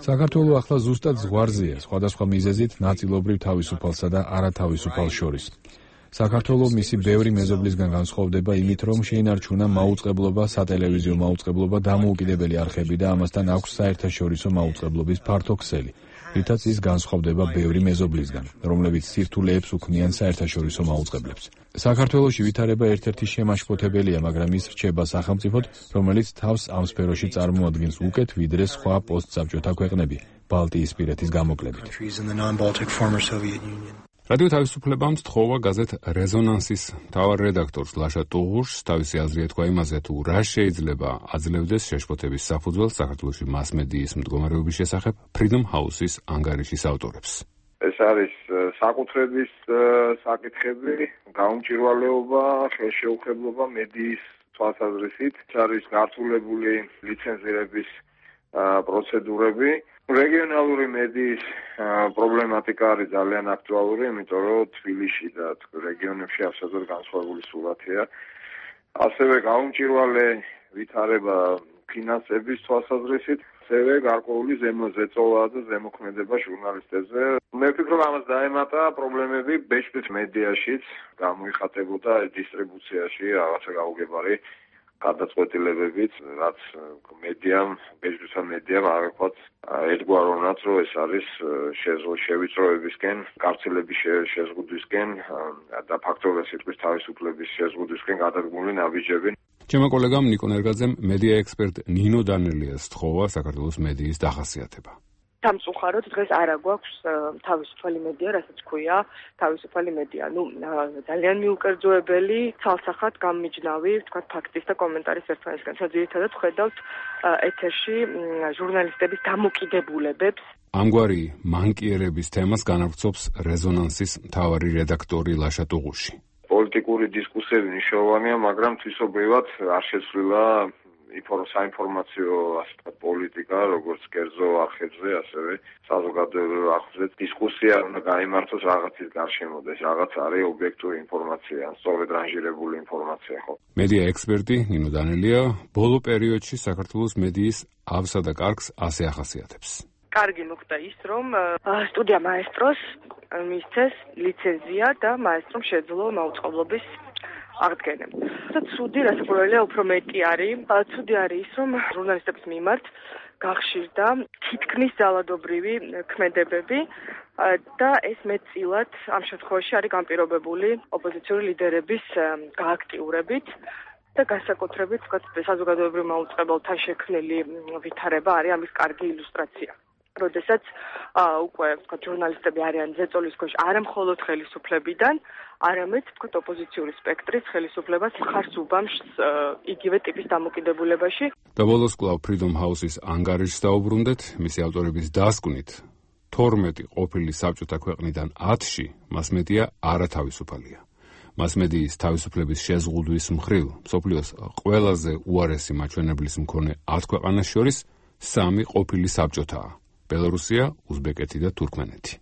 საქართველო ახლა ზუსტად ზღვარზეა, სხვადასხვა მიზეზით ნაწილობრივ თავისუფალსა და არათავისუფალს შორის. საქართველო მისი ბევრი მეზობლისგან განსხვავდება იმით, რომ შეინარჩუნა მაუწყებლობა, სატელევიზიო მაუწყებლობა, დამოუკიდებელი არხები და ამასთან აქვს საერთაშორისო მაუწყებლობის ფართო ქსელი. რითაც ის განსხვავდება ბევრი მეზობლისგან, რომლებიც სირთულეებს უქმნიან საერთაშორისო მაუწყებლებს. საქართველოში ვითარება ერთ-ერთი შემაშფოთებელია, მაგრამ ის რჩება სახელმწიფოდ, რომელიც თავს ამ სფეროში წარმოადგენს უკეთ, ვიდრე სხვა პოსტსაბჭოთა ქვეყნები, ბალტიისპირეთის გამოკლებით. რადიო თავისუფლებამ თხოვა გაზეთ რეზონანსის მთავარ რედაქტორს ლაშა ტუღუშს თავისი აზრი ეთქვა იმაზე, თუ რა შეიძლება აძლევდეს შეშფოთების საფუძველს საქართველოში მასმედიის მდგომარეობის შესახებ Freedom House-ის ანგარიშის ავტორებს. ეს არის საკუთრების საკითხები, გაუმჭირვალეობა, ხელშეუხებლობა მედიის თვალსაზრისით, ეს არის გართულებული ლიცენზირების პროცედურები. რეგიონალური მედიის პრობლემატიკა არის ძალიან აქტუალური, იმიტომ რომ თბილისში და რეგიონებში absolუტურად განსხვავებული სურათია. ასევე გაუმჭირვალე ვითარება ფინანსების თვალსაზრისით, ასევე გარკვეული ზემოწევა და ზემოქმედება ჟურნალისტებზე. მე ვფიქრობ, ამას დაემატა პრობლემები ბეჭდვის მედიაშიც, გამოიხატებოდა დისტრიბუციაში რაღაცა გაუგებარი გადაწყვეტილებებით, რაც მედიამ, ბეჭდვისა მედიამ აღიქვათ ერთგვაროვნად, რომ ეს არის შევიწროებისკენ, გავრცელების შეზღუდვისკენ და ფაქტობრივად სიტყვის თავისუფლების შეზღუდვისკენ გადადგმული ნაბიჯები. ჩემო კოლეგამ ნიკო ნერგაძემ მედია ექსპერტ ნინო დანელიას თხოვა საქართველოს მედიის დახასიათება. სამწუხაროდ დღეს არ აგვაქვს თავისუფალი მედია, რასაც ქვია თავისუფალი მედია. ძალიან მიუკერძოებელი, ცალსახად გამმიჯნავი, თქვათ ფაქტის და კომენტარის ერთმანეთისგან. ძირითადად ხედავთ ეთერში ჟურნალისტების დამოკიდებულებებს. ამგვარი მანკიერების თემას განავრცობს რეზონანსის მთავარი რედაქტორი ლაშა ტუღუში. პოლიტიკური დისკუსიები მნიშვნელოვანია, მაგრამ თვისობრივად არ შეცვლილა საინფორმაციო პოლიტიკა, როგორც კერძო არხებზე, ასევე საზოგადოებრივ არხებზე დისკუსია უნდა გაიმართოს რაღაცის გარშემო, რაღაც არის ობიექტური ინფორმაცია, სწორედ რანჟირებული ინფორმაცია, ხო? მედია ექსპერტი ნინო დანელია ბოლო პერიოდში საქართველოს მედიის ავსა და კარგს ასე ახასიათებს. კარგი მოხდა ის, რომ სტუდია მაესტროს მისცეს ლიცენზია და მაესტრომ შეძლო მაუწყებლობის აღდგენა. და ცუდი რასაკვირველია უფრო მეტი არის. ცუდი არის ის, რომ ჟურნალისტების მიმართ გახშირდა თითქმის ძალადობრივი ქმედებები და ეს მეტწილად ამ შემთხვევაში არის განპირობებული ოპოზიციური ლიდერების გააქტიურებით და განსაკუთრებით საზოგადოებრივ მაუწყებელთან შექმნილი ვითარება არის ამის კარგი ილუსტრაცია. როდესაც უკვე ჟურნალისტები არიან ზეწოლის ქვეშ არა მხოლოდ ხელისუფლებიდან, არამედ ოპოზიციური სპექტრის ხელისუფლებას მხარს უბამს იგივე ტიპის დამოკიდებულებაში. და ბოლოს კვლავ Freedom House-ის ანგარიშს დაუბრუნდეთ, მისი ავტორების დასკვნით 12 ყოფილი საბჭოთა ქვეყნიდან 10-ში მასმედია არათავისუფალია. მასმედიის თავისუფლების შეზღუდვის მხრივ მსოფლიოს ყველაზე უარესი მაჩვენებლის მქონე 10 ქვეყანას შორის 3 ყოფილი საბჭოთაა: ბელორუსია, უზბეკეთი და თურქმენეთი.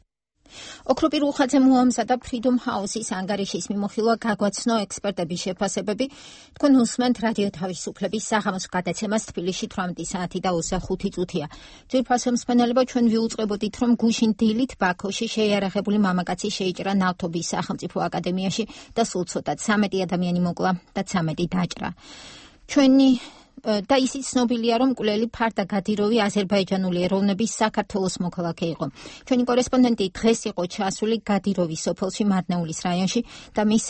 ოქროპი რუხაძე მოამზადა Freedom House-ის ანგარიშის მიმოხილვა გაგვაცნო ექსპერტების შეფასებები. თქვენ უსმენთ რადიო თავისუფლების საღამოს გადაცემას თბილისში 18 საათი და 25 წუთია. ძვირფასო მსმენელებო, ჩვენ ვიუწყებოდით, რომ გუშინ დილით ბაქოში შეიარაღებული მამაკაცი შეიჭრა ნავთობის სახელმწიფო აკადემიაში და სულ ცოტა 13 ადამიანი მოკლა და 13 დაჭრა. ჩვენი და ისიც ცნობილია, რომ მკვლელი ფარდა გადიროვი აზერბაიჯანული ეროვნების საქართველოს მოქალაქე იყო. ჩვენი კორესპონდენტი დღეს იყო ჩასული გადიროვის სოფელში მარნეულის раიონში და მის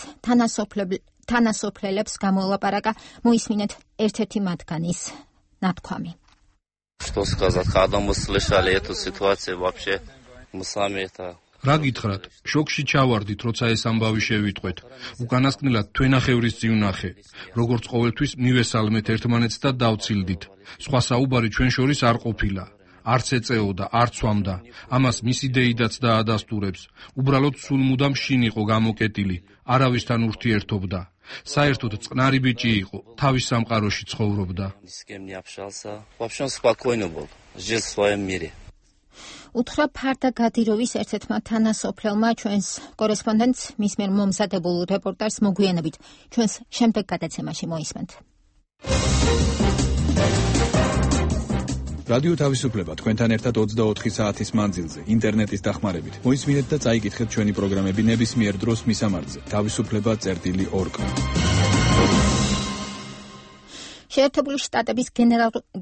თანასოფლელებს გამოელაპარაკა. მოისმინეთ ერთ-ერთი მათგანის ნათქვამი. Что сказать, когда мы слышали эту ситуацию вообще мы сами это რა გითხრათ? შოკში ჩავარდით, როცა ეს ამბავი შევიტყვეთ. უკანასკნელად თვენახევრის წივნახე. როგორც ყოველთვის მივესალმეთ ერთმანეთს და დავცილდით. სხვა საუბარი ჩვენ შორის არ ყოფილა. არც ეწეოდა, არც ვამდა. ამას მისი დეიდაც დაადასტურებს. უბრალოდ სულ მუდამ შინ იყო გამოკეტილი. არავისთან ურთიერთობდა. საერთოდ წყნარი ბიჭი იყო, თავის სამყაროში ცხოვრობდა. უთხრა ფარდა გადიროვის ერთ-ერთმა თანასოფლელმა ჩვენს კორესპონდენტს მის მიერ მომზადებულ რეპორტაჟს მოგვიანებით ჩვენს შემდეგ გადაცემაში მოისმენთ. რადიო თავისუფლება თქვენთან ერთად 24 საათის მანძილზე ინტერნეტის დახმარებით. მოისმინეთ და წაიკითხეთ ჩვენი პროგრამები ნებისმიერ დროს მისამართზე. თავისუფლება.org. შეერთებული შტატების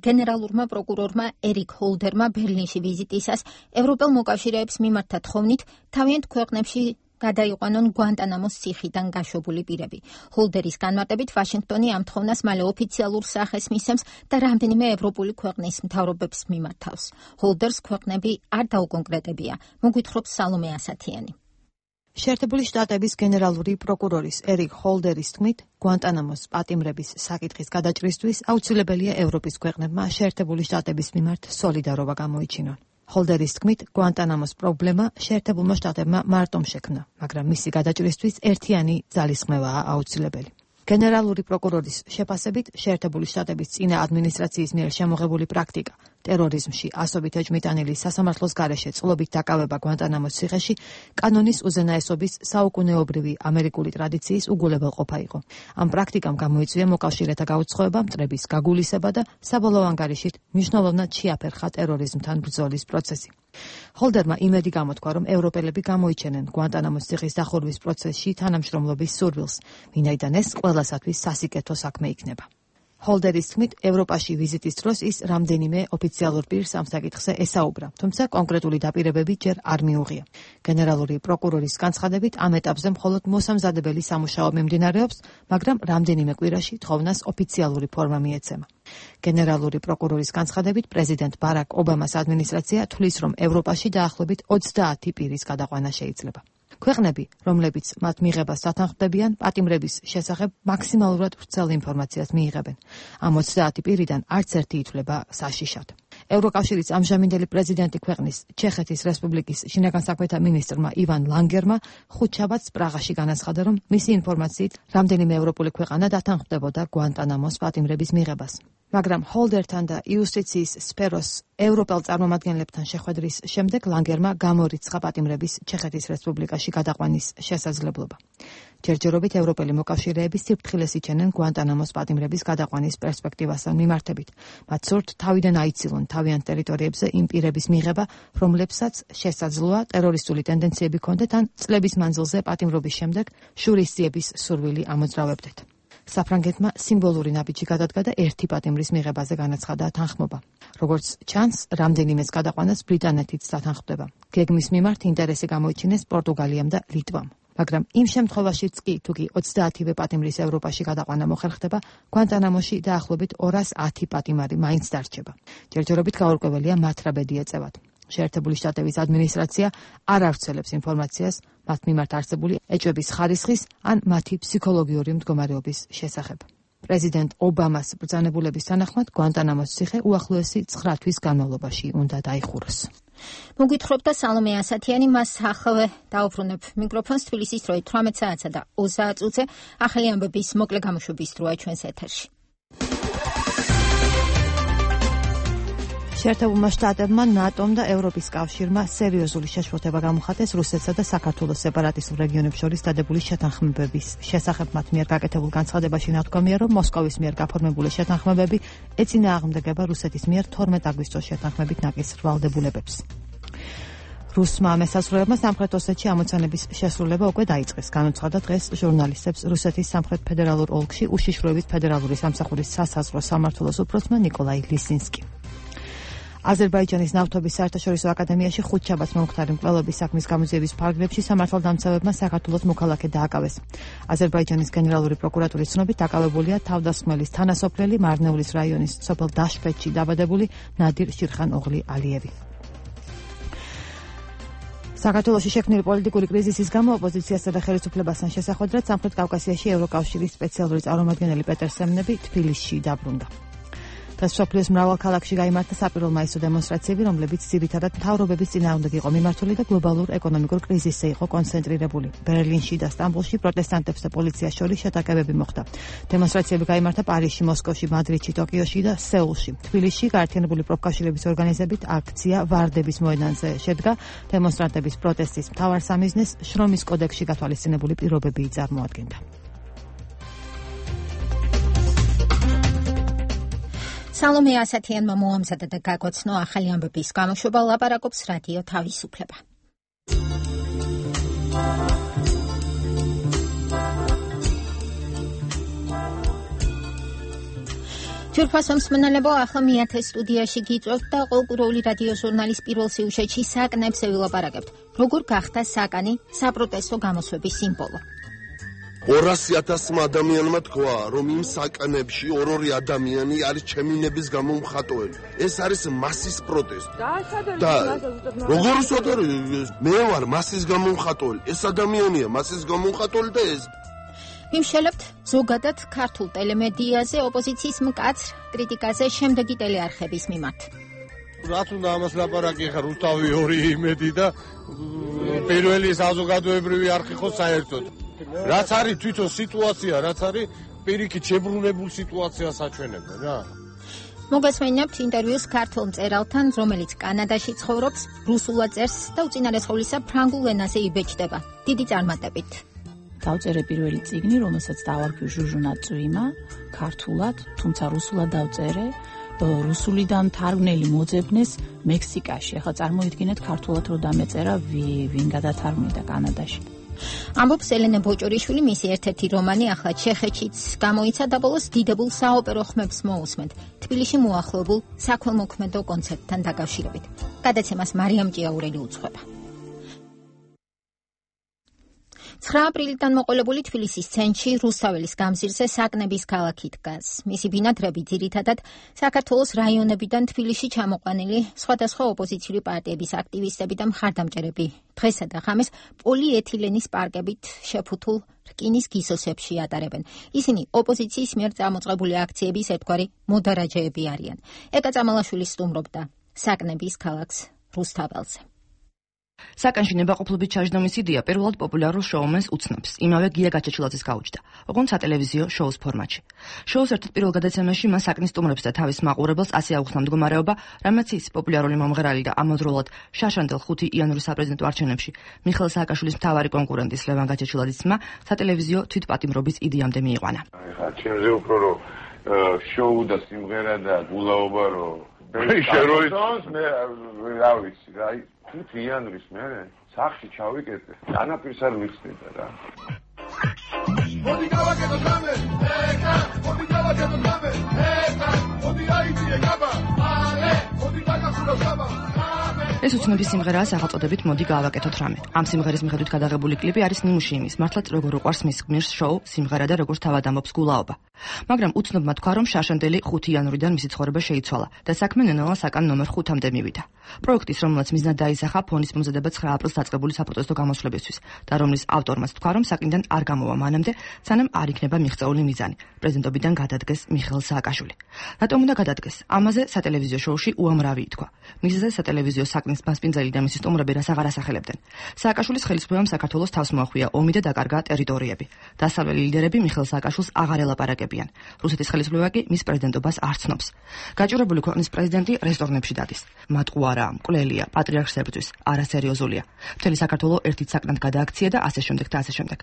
გენერალურმა პროკურორმა ერიკ ჰოლდერმა ბერლინში ვიზიტისას ევროპელ მოკავშირეებს მიმართა თხოვნით თავიანთ ქვეყნებში გადაიყვანონ გვანტანამოს ციხიდან გაშვებული პირები. ჰოლდერის განმარტებით ვაშინგტონი ამ თხოვნას მალე ოფიციალურ სახეს მისცემს და რამდენიმე ევროპული ქვეყნის მთავრობებს მიმართავს. ჰოლდერს ქვეყნები არ დაუკონკრეტებია. მოგვითხრობს სალომე ასათიანი. შეერთებული შტატების გენერალური პროკურორის ერიკ ჰოლდერის თქმით, გვანტანამოს პატიმრების საკითხის გადაჭრისთვის აუცილებელია ევროპის ქვეყნებმა შეერთებული შტატების მიმართ სოლიდარობა გამოიჩინონ. ჰოლდერის თქმით, გვანტანამოს პრობლემა შეერთებულმა შტატებმა მარტომ შექმნა, მაგრამ მისი გადაჭრისთვის ერთიანი ძალისხმევაა აუცილებელი. გენერალური პროკურორის შეფასებით, შეერთებული შტატების წინა ადმინისტრაციის მიერ შემოღებული პრაქტიკა ტერორიზმში ასობით ეჭვმიტანილი სასამართლოს გარეშე წყლობით დაკავება გვანტანამოს ციხეში კანონის უზენაესობის საუკუნეობრივი ამერიკული ტრადიციის უგულებელყოფა იყო. ამ პრაქტიკამ გამოიწვია მოკავშირეთა გაუცხოება, მტრების გაგულისება და საბოლოო ანგარიშით მნიშვნელოვნად შეაფერხა ტერორიზმთან ბრძოლის პროცესი. ჰოლდერმა იმედი გამოთქვა, რომ ევროპელები გამოიჩენენ გვანტანამოს ციხის დახურვის პროცესში თანამშრომლობის სურვილს, ვინაიდან ეს ყველასათვის სასიკეთო საქმე იქნება. ჰოლდერის თქმით, ევროპაში ვიზიტის დროს ის რამდენიმე ოფიციალურ პირს ამ საკითხზე ესაუბრა, თუმცა კონკრეტული დაპირებები ჯერ არ მიუღია. გენერალური პროკურორის განცხადებით, ამ ეტაპზე მხოლოდ მოსამზადებელი სამუშაო მიმდინარეობს, მაგრამ რამდენიმე კვირაში თხოვნას ოფიციალური ფორმა მიეცემა. გენერალური პროკურორის განცხადებით, პრეზიდენტ ბარაკ ობამას ადმინისტრაცია თვლის, რომ ევროპაში დაახლოებით 20 პირის გადაყვანა შეიძლება. ქვეყნები, რომლებიც მათ მიღებას დათანხმდებიან, პატიმრების შესახებ მაქსიმალურად ვრცელ ინფორმაციას მიიღებენ. ამ 20 პირიდან არც ერთი ითვლება საშიშად. ევროკავშირის ამჟამინდელი პრეზიდენტი ქვეყნის ჩეხეთის რესპუბლიკის შინაგან საქმეთა მინისტრმა ივან ლანგერმა ხუთშაბათს პრაღაში განაცხადა, რომ მისი ინფორმაციით რამდენიმე ევროპული ქვეყანა დათანხმდებოდა გვანტანამოს პატიმრების მიღებას. მაგრამ ჰოლდერთან და იუსტიციის სფეროს ევროპელ წარმომადგენლებთან შეხვედრის შემდეგ ლანგერმა გამორიცხა პატიმრების ჩეხეთის რესპუბლიკაში გადაყვანის შესაძლებლობა. ჯერჯერობით ევროპელი მოკავშირეები სიფრთხილეს იჩენენ გვანტანამოს პატიმრების გადაყვანის პერსპექტივასთან მიმართებით. მათ სურთ თავიდან აიცილონ თავიანთ ტერიტორიებზე იმ პირების მიღება, რომლებსაც შესაძლოა ტერორისტული ტენდენციები ჰქონდეთ ან წლების მანძილზე პატიმრობის შემდეგ შურისძიების სურვილი ამოძრავებდეთ. საფრანგეთმა სიმბოლური ნაბიჯი გადადგა და ერთი პატიმრის მიღებაზე განაცხადა თანხმობა. როგორც ჩანს, რამდენიმეს გადაყვანას ბრიტანეთიც დათანხმდება. გეგმის მიმართ ინტერესი გამოიჩინეს პორტუგალიამ და ლიტვამ. მაგრამ იმ შემთხვევაშიც კი, თუკი 30-ვე პატიმრის ევროპაში გადაყვანა მოხერხდება, გვანტანამოში დაახლოებით 210 პატიმარი მაინც დარჩება. ჯერჯერობით გაურკვეველია მათ რა ბედი ეწევათ. შეერთებული შტატების ადმინისტრაცია არ ავრცელებს ინფორმაციას მათ მიმართ არსებული ეჭვების ხარისხის ან მათი ფსიქოლოგიური მდგომარეობის შესახებ. პრეზიდენტ ობამას ბრძანებულების თანახმად გვანტანამოს ციხე უახლოესი 9 თვის განმავლობაში უნდა დაიხუროს. მოგვითხრობდა სალომე ასათიანი, მას ახალ დაუბრუნებ მიკროფონს თბილისის დროით 18 საათსა და 30 წუთზე ახალი ამბების მოკლე გამოშვების დროა ჩვენს ეთერში. შეერთებულმა შტატებმა, ნატომ და ევროპის კავშირმა სერიოზული შეშფოთება გამოხატეს რუსეთსა და საქართველოს სეპარატისტულ რეგიონებს შორის დადებული შეთანხმებების შესახებ. მათ მიერ გაკეთებულ განცხადებაში ნათქვამია, რომ მოსკოვის მიერ გაფორმებული შეთანხმებები ეწინააღმდეგება რუსეთის მიერ 12 აგვისტოს შეთანხმებით ნაკისრ ვალდებულებებს. რუსმა მესაზღვრეებმა სამხრეთ ოსეთში ამოცანების შესრულება უკვე დაიწყეს. განუცხადა დღეს ჟურნალისტებს რუსეთის სამხრეთ ფედერალურ ოლქში უშიშროებით ფედერალური სამსახურის სასაზღვრო სამმართველოს უფროსმა ნიკოლაი ლისინსკი. აზერბაიჯანის ნავთობის საერთაშორისო აკადემიაში ხუთშაბათს მომხდარი მკვლელობის საქმის გამოძიების ფარგლებში სამართალდამცავებმა საქართველოს მოქალაქე დააკავეს. აზერბაიჯანის გენერალური პროკურატურის ცნობით დაკავებულია თავდასხმელის თანასოფლელი მარნეულის რაიონის სოფელ დაშფეთში დაბადებული ნადირ შირხან ოღლი ალიევი. საქართველოში შექმნილი პოლიტიკური კრიზისის გამო ოპოზიციასა და ხელისუფლებასთან შესახვედრად სამხრეთ კავკასიაში ევროკავშირის სპეციალური წარმომადგენელი პეტერ სემნები თბილისში დაბრუნდა. დღეს მსოფლიოს მრავალ ქალაქში გაიმართა საპირულ მაისო დემონსტრაციები, რომლებიც ძირითადად მთავრობების წინააღმდეგ იყო მიმართული და გლობალურ ეკონომიკურ კრიზისზე იყო კონცენტრირებული. ბერლინში და სტამბოლში პროტესტანტებს და პოლიციას შორის შეტაკებები მოხდა. დემონსტრაციები გაიმართა პარიზში, მოსკოვში, მადრიდში, ტოკიოში და სეულში. თბილისში გაერთიანებული პროფკავშირების ორგანიზებით აქცია ვარდების მოედანზე შედგა. დემონსტრანტების პროტესტის მთავარ სამიზნეს შრომის კოდექსში გათვალისწინებული პირობები წარმოადგენდა. სალომე ასათიანმა მოამზადა და გაგოცნო ახალი ამბების გამოშვება, ლაპარაკობს რადიო თავისუფლება. ჯურფასო მსმენელებო, ახლა მიათე სტუდიაში გიწევთ და ყოველკვირეული რადიო ჟურნალის პირველ სიუჟეტში საკნებზე ვილაპარაკებთ. როგორ გახდა საკანი საპროტესტო გამოსვების სიმბოლო? 200,000 ადამიანმა თქვა, რომ იმ საკანებში ორ-ორი ადამიანი არის ჩემინების გამო მხატველი. ეს არის მასის პროტესტი. და როგორ უცოდარი, მე ვარ მასის გამო მხატველი. ეს ადამიანია მასის გამო მხატველი და ეს ვიმშელებთ ზოგადად ქართულ ტელემედიაზე ოპოზიციის მკაცრ კრიტიკაზე შემდეგი ტელეარხების მიმართ. რაც უნდა ამას ლაპარაკი ხარ რუსთავი 2 იმედი და პირველი საზოგადოებრივი არხი ხო საერთოდ. რაც არის თვითონ სიტუაცია, რაც არის პირიქით შებრუნებულ სიტუაციას აჩვენებენ რა. მოგესმენიებთ ინტერვიუს ქართულ მწერალთან, რომელიც კანადაში ცხოვრობს, რუსულად წერს და უწინარესხულისა ფრანგულ ენაზე იბეჭდება. დიდი წარმატებით. დავწერე პირველი წიგნი, რომელსაც დავარქვი ჟუჟუნა წვიმა, ქართულად, თუმცა რუსულად დავწერე. რუსულიდან თარგმნელი მოძებნეს მექსიკაში. ახლა წარმოიდგინეთ ქართულად რო დამეწერა ვინ გადათარგმნიდა კანადაში. ამბობს ელენე ბოჭორიშვილი, მისი ერთ-ერთი რომანი ახლა ჩეხეთშიც გამოიცა და ბოლოს დიდებულ საოპერო ხმებს მოусმენთ თბილისში მოახლოებულ საქველმოქმედო კონცერტთან დაკავშირებით. გადაცემას მარიამ ჭიაურელი უძღვება. 9 აპრილიდან მოყოლებული თბილისის ცენტრში რუსთაველის გამზირზე საკნების ქალაქი დგას. მისი ბინადრები ძირითადად საქართველოს რაიონებიდან თბილისში ჩამოყვანილი სხვადასხვა ოპოზიციური პარტიების აქტივისტები და მხარდამჭერები დღესა და ღამეს პოლიეთილენის პარკებით შეფუთულ რკინის გისოსებში ატარებენ. ისინი ოპოზიციის მიერ წამოწყებული აქციების ერთგვარი მოდარაჯეები არიან. ეკა წამალაშვილი სტუმრობდა საკნების ქალაქს რუსთაველზე. საკანში ნებაყოფლობით ჩაჟდომის იდეა პირველად პოპულარულ შოუმენს უცნობს. იმავე გია გაჩეჩილაძის გაუჩნდა, ოღონდ სატელევიზიო შოუს ფორმატში. შოუს ერთ პირველ გადაცემაში მას საკნის სტუმრებს და თავის მაყურებელს ასე აუხსნა მდგომარეობა, რამაც ის პოპულარული მომღერალი და ამავდროულად შაშანდელ 5 იანვრის საპრეზიდენტო არჩევნებში მიხეილ სააკაშვილის მთავარი კონკურენტის ლევან გაჩეჩილაძის ძმა სატელევიზიო თვითპატიმრობის იდეამდე მიიყვანა. ხა ჩემზე უფრო რომ შოუ და სიმღერა და გულაობა რომ შეროიც მე რა ვიცი რა 5 იანვრის მე სახში ჩავიკეთე დანაპირს არ ვიცნიდა რა მოდი გავაკეთო გამე ეკა მოდი გავაკეთო გამე ეკა მოდი აიწიე გაბა ალე მოდი დაგახურა გაბა ეს უცნობი სიმღერაა სახელწოდებით მოდი გავაკეთოთ რამე. ამ სიმღერის მიხედვით გადაღებული კლიპი არის ნიმუში იმის, მართლაც როგორ უყვარს მის გმირს შოუ, სიმღერა და როგორ თავად ამბობს გულაობა. მაგრამ უცნობმა თქვა, რომ შაშანდელი 5 იანვრიდან მისი ცხოვრება შეიცვალა და საქმე ნელ-ნელა საკან ნომერ 5-მდე მივიდა. პროექტის, რომელსაც მიზნად დაისახა ფონის მომზადება 9 აპრილს დაწყებული საპროტესტო გამოსვლებისთვის და რომლის ავტორმაც თქვა, რომ საკნიდან არ გამოვა მანამდე, სანამ არ იქნება მიღწეული მიზანი. პრეზიდენტობიდან გადადგეს მიხეილ სააკაშვილი. რატომ უნდა გადადგეს? ამაზე სატელევიზიო შოუში უამრავი ითქვა. მისზე სატელევიზიო საკნის მასპინძელი და მისი სტუმრები რას აღარ ასახელებდნენ. სააკაშვილის ხელისუფლებამ საქართველოს თავს მოახვია ომი და დაკარგა ტერიტორიები. დასავლელი ლიდერები მიხეილ სააკაშვილს აღარ ელაპარაკებიან. რუსეთის ხელისუფლება კი მის პრეზიდენტობას არ ცნობს. გაჭირებული ქვეყნის პრეზიდენტი რესტორნებში დადის. მატყუარა, მკვლელია, პატრიარქს ებრძვის, არასერიოზულია. მთელი საქართველო ერთით საკნად გადააქცია და ასე შემდეგ და ასე შემდეგ.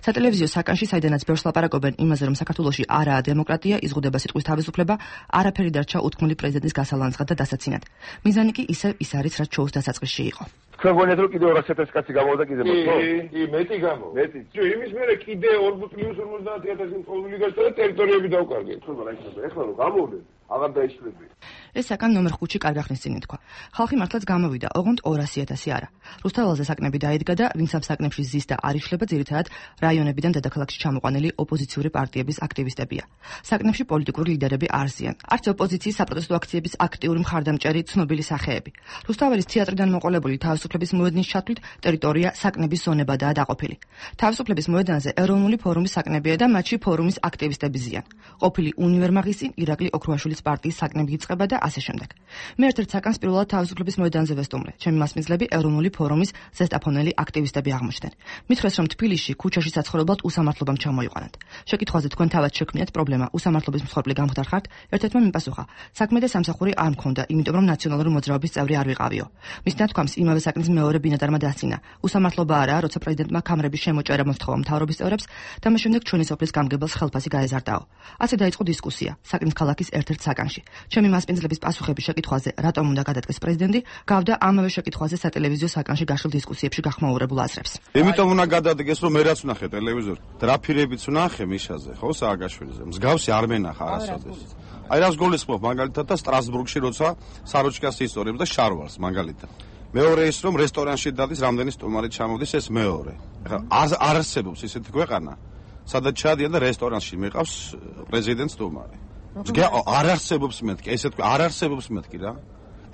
სატელევიზიო საკანში, საიდანაც ბევრს ლაპარაკობენ იმაზე, რომ საქართველოში არაა დემოკრატია, იზღუდება სიტყვის თავისუფლება, არაფერი დარჩა უთქმული პრეზიდენტის გასალანძღად და დასაცინად. მიზანი კი ისევ ის არის, რაც შოუს დასაწყისში იყო. თქვენ გონიათ რომ კიდე 200,000 კაცი გამოვიდა კიდე მოხდა? კი, მეტი გამო. მეტი. იმის მერე კიდე 4+50,000 მწვავილი გასცა და ტერიტორიები დავკარგეთ. ხო, რა იქნება? ეხლა რომ გამოვდნენ, აღარ დაიშლებია. ეს საკან ნომერ 5-ში კარგახნის წინ ითქვა. ხალხი მართლაც გამოვიდა, ოღონდ 200,000 არა. რუსთაველზე საკნები დაიდგა და ვინც ამ საკნებში ზის და არ იშლება, ძირითადად რაიონებიდან დედაქალაქში ჩამოყვანილი ოპოზიციური პარტიების აქტივისტებია. საკნებში პოლიტიკური ლიდერები არ ზიან. არც ოპოზიციის საპროტესტო აქციების აქტიური მხარდამჭერი ცნობილი სახეები. რუსთაველის თეატრიდან მოყოლებული თავისუფლების მოედნის ჩათვლით ტერიტორია საკნების ზონებადაა დაყოფილი. თავისუფლების მოედანზე ეროვნული ფორუმის საკნებია და მათში ფორუმის აქტივისტები ზიან. ყოფილი უნივერმაღის წინ ირაკლი ოქროაშვილის პარტიის საკნები იწყება და ასე შემდეგ. მე ერთ-ერთ საკანს პირველად თავისუფლების მოედანზე ვესტუმრე. ჩემი მასპინძლები ეროვნული ფორუმის ზესტაფონელი აქტივისტები აღმოჩნდნენ. მითხრეს, რომ თბილისში ქუჩაში საცხოვრებლად უსამართლობამ ჩამოიყვანათ. შეკითხვაზე თქვენ თავად შექმნიათ პრობლემა, უსამართლობის მსხვერპლი გამხდარ ხართ? ერთ-ერთმა მიპასუხა: საქმე და სამსახური არ მქონდა, იმიტომ რომ ნაციონალური მოძრაობის წევრი არ ვიყავიო. მის ნათქვამს იმავე საკნის მეორე ბინადარმა დასცინა. უსამართლობა არაა, როცა პრეზიდენტმა კამრების შემოჭერა მოსთხოვა მთავრობის წევრებს და მას შემდეგ ჩვენი სოფლის გამგებელს ხელფასი გაეზარდაო. ასე დაიწყო დისკუსია საკნის ქალაქის ერთ-ერთ საკანში. ჩემი მასპინძლების პასუხების შეკითხვაზე, რატომ უნდა გადადგეს პრეზიდენტი, გავდა ამავე შეკითხვაზე სატელევიზიო საკანში გაშლილ დისკუსიებში გახმაურებულ აზრებს. იმიტომ უნდა გადადგეს, რომ მე რაც ვნახე ტელევიზორში, დრაფირებიც ვნახე მიშაზე, ხო, სააკაშვილიზე. მსგავსი არ მენახა არასოდეს. აი რას გულისხმობ მაგალითად და სტრასბურგში როცა საროჩკას ისტორიებს და შარვალს მაგალითად. მეორე ის რომ რესტორანში დადის რამდენი სტუმარი ჩამოდის ეს მეორე. ეხლა არ არსებობს ისეთი ქვეყანა, სადაც ჩადიან და რესტორანში მეყავს პრეზიდენტ სტუმარი. არ არსებობს მეთქი, ესე თქვა, არ არსებობს მეთქი რა.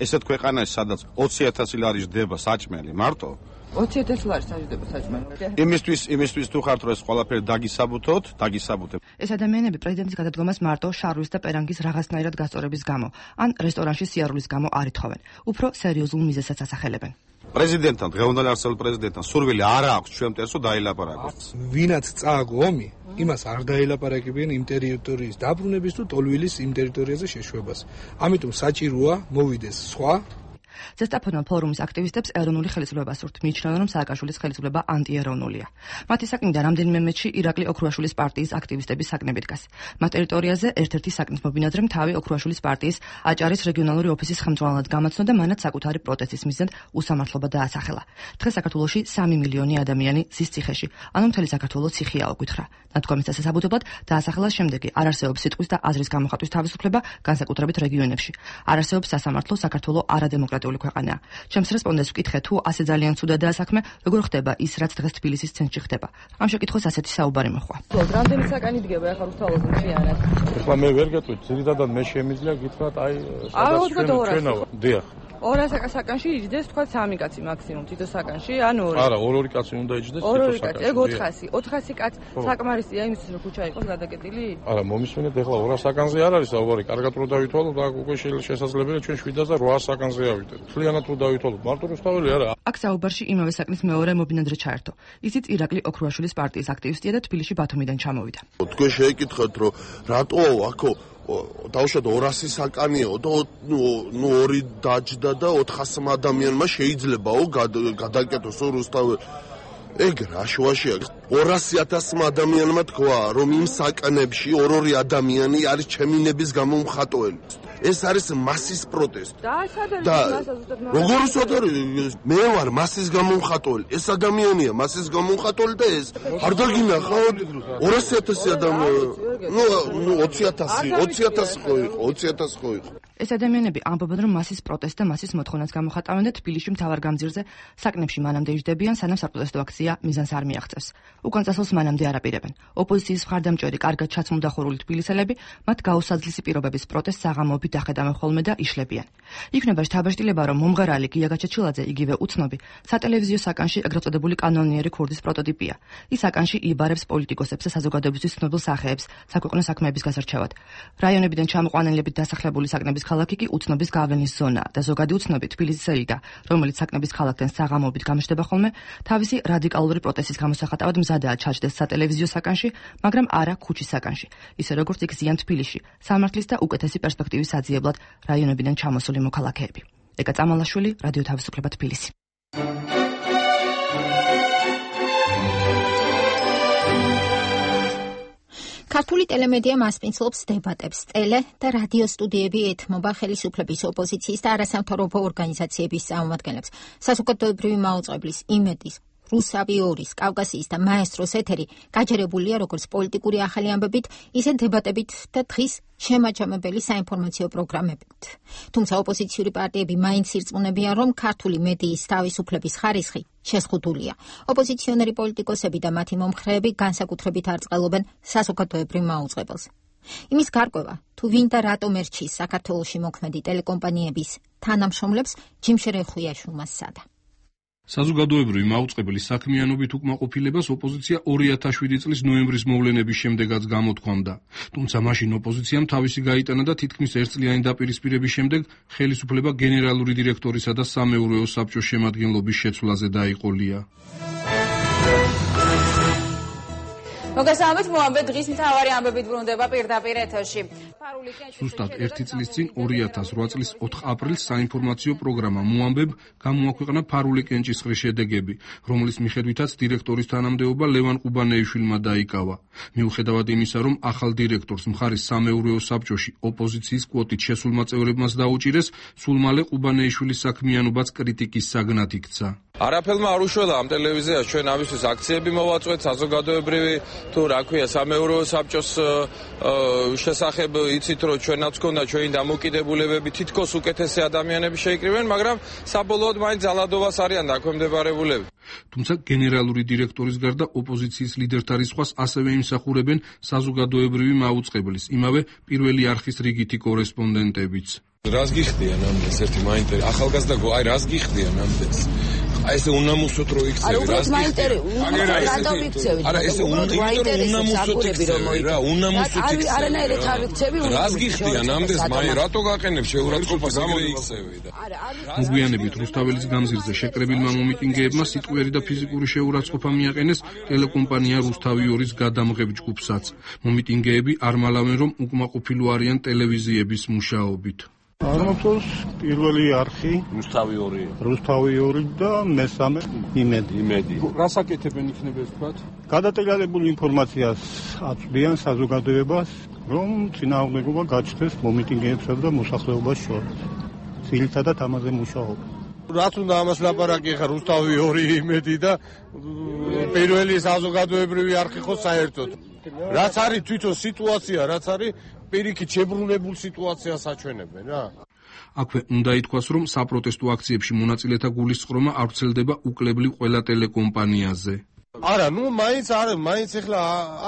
ესეთ ქვეყანაში, სადაც 20,000 ლარი ჯდება საჭმელი მარტო 20,000 ლარი საჭდება საჭმელი. იმისთვის თუ ხართ რომ ეს ყველაფერი დაგისაბუთოთ. ეს ადამიანები პრეზიდენტის გადადგომას მარტო შარვის და პერანგის რაღაცნაირად გასწორების გამო, ან რესტორანში სიარულის გამო არ ითხოვენ. უფრო სერიოზულ მიზეზსაც ასახელებენ. პრეზიდენტთან, დღევანდელი არსებულ პრეზიდენტთან სურვილი არ აქვს ჩვენ მტერსო დაილაპარაკოს. ვინაც წააგო ომი, იმას არ დაელაპარაკებიან იმ ტერიტორიის დაბრუნების თუ ტოლვილის იმ ტერიტორიაზე შეშვებას. ამიტომ საჭიროა მოვიდეს სხვა ზესტაფონელ ფორუმის აქტივისტებს ეროვნული ხელისუფლება სურთ. მიიჩნევენ, რომ სააკაშვილის ხელისუფლება ანტიეროვნულია. მათი საკნიდან რამდენიმე მეტში ირაკლი ოქროაშვილის პარტიის აქტივისტების საკნები დგას. მათ ტერიტორიაზე ერთ-ერთი საკნის მობინადრემ თავი ოქროაშვილის პარტიის აჭარის რეგიონალური ოფისის ხელმძღვანელად გამოცნო და მანაც საკუთარი პროტესტის მიზნად უსამართლობა დაასახელა. დღეს საქართველოში 3 მილიონი ადამიანი ზის ციხეში, ანუ მთელი საქართველო ციხეა უკითხა. ნათქვამის დასასაბუთებლად დაასახელა შემდეგი: არ არსებობს სიტყვის და აზრის გამოხატვის თავისუფლება, განსაკუთრებით რეგიონებში. არ არსებობს სასამართლო, საქართველო არადემოკრატიული ქვეყანაა. ჩემს რესპონდენტს ვკითხე, თუ ასე ძალიან ცუდადაა საქმე, როგორ ხდება ის, რაც დღეს თბილისის ცენტრში ხდება. ამ შეკითხვას ასეთი საუბარი მოხდა. რამდენი საკანი დგება ახლა რუსთაველზე მთლიანად? ეხლა მე ვერ გეტყვით, ძირითადად მე შემიძლია გითხრათ, აი, სადაც ჩვენავა. დიახ. 200 საკანში იჯდეს თქვა 3 კაცი მაქსიმუმ თითო საკანში, ან 2. არა, 2 კაცი უნდა იჯდეს თითო საკანში. ეგ 400 კაცი საკმარისია იმისთვის რომ ქუჩა იყოს გადაკეტილი? არა, მომისმენთ ეხლა 200 საკანზე არ არის საუბარი, კარგად რო დავითვალოთ, აქ უკვე შესაძლებელია ჩვენ 700 და 800 საკანზე ავიდეთ. მთლიანად რო დავითვალოთ, მარტო რუსთაველი არა. აქ საუბარში იმავე საკნის მეორე მობინადრე ჩაერთო. ისიც ირაკლი ოქრუაშვილის პარტიის აქტივისტია და თბილისში ბათუმიდან ჩამოვიდა. თქვენ შეეკითხეთ რომ რატო აქო დავუშვათ 200 საკანიო და 2 დაჯდა და 400 ადამიანმა შეიძლებაო გადაკეთოს რუსთაველი. ეგ რა შუაშია 200,000 ადამიანმა თქვა რომ იმ საკანებში 2 ადამიანი არის ჩემინების გამომხატველი. ეს არის მასის პროტესტი. და როგორ უცოდარი მე ვარ მასის გამომხატველი. ეს ადამიანია მასის გამომხატველი და ეს არ დაგინახავთ 200,000 ადამიანი. ნუ 20,000 ხო იყო 20,000 ხო იყო. ეს ადამიანები ამბობენ რომ მასის პროტესტ და მასის მოთხოვნას გამოხატავენ და თბილისში მთავარ გამზირზე საკნებში მანამდე იჯდებიან სანამ საპროტესტო აქცია მიზანს არ მიაღწევს. უკან წასვლას მანამდე არ აპირებენ. ოპოზიციის მხარდამჭერი კარგად ჩაცმულდახურული თბილისელები მათ გაუსაძლისი პირობების პროტესტს საღამოობით დახედავენ ხოლმე და იშლებიან. იქნება შთაბეჭდილება რომ მომღერალი გია გაჩაჩილაძე იგივე უცნობი სატელევიზიო საკანში ეგრეთ წოდებული კანონიერი ქურდის პროტოტიპია. ის საკანში იბარებს პოლიტიკოსებს და საზოგადოებისთვის ცნობილ სახეებს საქვეყნო საქმეების გასარჩევად. რაიონებიდან ჩამოყვანილებით დასახლებული საკნების ქალაქი კი უცნობის გავლენის ზონაა და ზოგადი უცნობი თბილისის ელიტა, რომელიც საკნების ქალაქთან საღამოობით გამოჩნდება ხოლმე, თავისი რადიკალური პროტესტის გამოსახატავად მზადაა ჩაჯდეს სატელევიზიო საკანში, მაგრამ არა ქუჩის საკანში. ისე როგორც იქ ზიან თბილისში, სამართლის და უკეთესი პერსპექტივის საძიებლად რაიონებიდან ჩამოსული მოქალაქეები. ეკა წამალაშვილი, რადიო თავისუფლება თბილისი. ქართული ტელემედია მასპინძლობს დებატებს, ტელე და რადიო სტუდიები ეთმობა ხელისუფლების, ოპოზიციის და არასამთავრობო ორგანიზაციების წარმომადგენლებს. საზოგადოებრივი მაუწყებლის, იმედის, რუსავი ორის, კავკასიის და მაესტროს ეთერი გაჯერებულია როგორც პოლიტიკური ახალი ამბებით, ისე დებატებით და დღის შემაჯამებელი საინფორმაციო პროგრამებით. თუმცა ოპოზიციური პარტიები მაინც ირწმუნებიან, რომ ქართული მედიის თავისუფლების ხარისხი შეზღუდულია. ოპოზიციონერი პოლიტიკოსები და მათი მომხრეები განსაკუთრებით არ წყალობენ საზოგადოებრივ მაუწყებელს. იმის გარკვევა, თუ ვინ და რატომ ერჩის საქართველოში მოქმედი ტელეკომპანიების თანამშრომლებს, ჯიმშერ ეხვიაშვილმა სცადა. საზოგადოებრივი მაუწყებლის საქმიანობით უკმაყოფილებას ოპოზიცია 2007 წლის ნოემბრის მოვლენების შემდეგაც გამოთქვამდა. თუმცა მაშინ ოპოზიციამ თავისი გაიტანა და თითქმის ერთწლიანი დაპირისპირების შემდეგ ხელისუფლება გენერალური დირექტორისა და სამეურვეო საბჭოს შემადგენლობის შეცვლაზე დაიყოლია. მოგესალმებით, მოამბე დღის მთავარი ამბებით ბრუნდება პირდაპირ ეთერში. ზუსტად 1 წლის წინ 2008 წლის 4 აპრილს საინფორმაციო პროგრამა მოამბებ გამოაქვეყნა ფარული კენჭისყრის შედეგები, რომლის მიხედვითაც დირექტორის თანამდებობა ლევან ყუბანეიშვილმა დაიკავა. მიუხედავად იმისა, რომ ახალ დირექტორს მხარის სამეურვეო საბჭოში ოპოზიციის კვოტით შესულმა წევრებმაც დაუჭირეს, სულ მალე ყუბანეიშვილის საქმიანობაც კრიტიკის საგნად იქცა. არაფერმა არ უშველა ამ ტელევიზიას ჩვენ ამისთვის აქციები მოვაწვეთ საზოგადოებრივი თუ რა ქვია სამეურვეო საბჭოს შესახებ იცით რომ ჩვენაც გქონდა ჩვენი დამოკიდებულებები თითქოს უკეთესი ადამიანები შეიკრიბნენ, მაგრამ საბოლოოდ მაინც ძალადობას არიან დაქვემდებარებულები. თუმცა გენერალური დირექტორის გარდა ოპოზიციის ლიდერთა რისხვას ასევე იმსახურებენ საზოგადოებრივი მაუწყებლის, იმავე პირველი არხის რიგითი კორესპონდენტებიც. რას გიხდიან ამდენს ერთი მაინტერესებს ახალგაზრდა აი რას გიხდიან ამდენს აი ესე უნამუსოთ რო იქცევი რას გიხდიან არა ესე უნამუსოთ იქცევი რა უნამუსოთ იქცევი არანაირად არ იქცევი რას გიხდიან ამდენს მაი რატო გაყენებ შეურაცხყოფას იგივე იქცევი და მოგვიანებით რუსთაველის გამზირზე შეკრებილმა მომიტინგეებმა სიტყვიერი და ფიზიკური შეურაცხყოფა მიაყენეს ტელეკომპანია რუსთავი ორის გადამღებ ჯგუფსაც. მომიტინგეები არ მალავენ რომ უკმაყოფილო არიან ტელევიზიების მუშაობით. აღმოჩნდა პირველი არხი რუსთავი 2 და მესამე იმედი. რას აკეთებენ იქნება ეს თქვა? გადატელებული ინფორმაციას აწვდიან საზოგადოებას, რომ წინააღმდეგობა გაჩნდეს მომიტინგეებსა და მოსახლეობას შორის. ძირითადად ამაზე მუშაობენ. რაც უნდა ამას ლაპარაკი ხა რუსთავი 2 იმედი და პირველი საზოგადოებრივი არხი ხო საერთოდ. რაც არის თვითონ სიტუაცია, რაც არის პირიქით შებრუნებულ სიტუაციას აჩვენებენ რა. აქვე უნდა ითქვას, რომ საპროტესტო აქციებში მონაწილეთა გულისწყრომა არ ვრცელდება უკლებლივ ყველა ტელეკომპანიაზე. არა, ნუ მაინც ახლა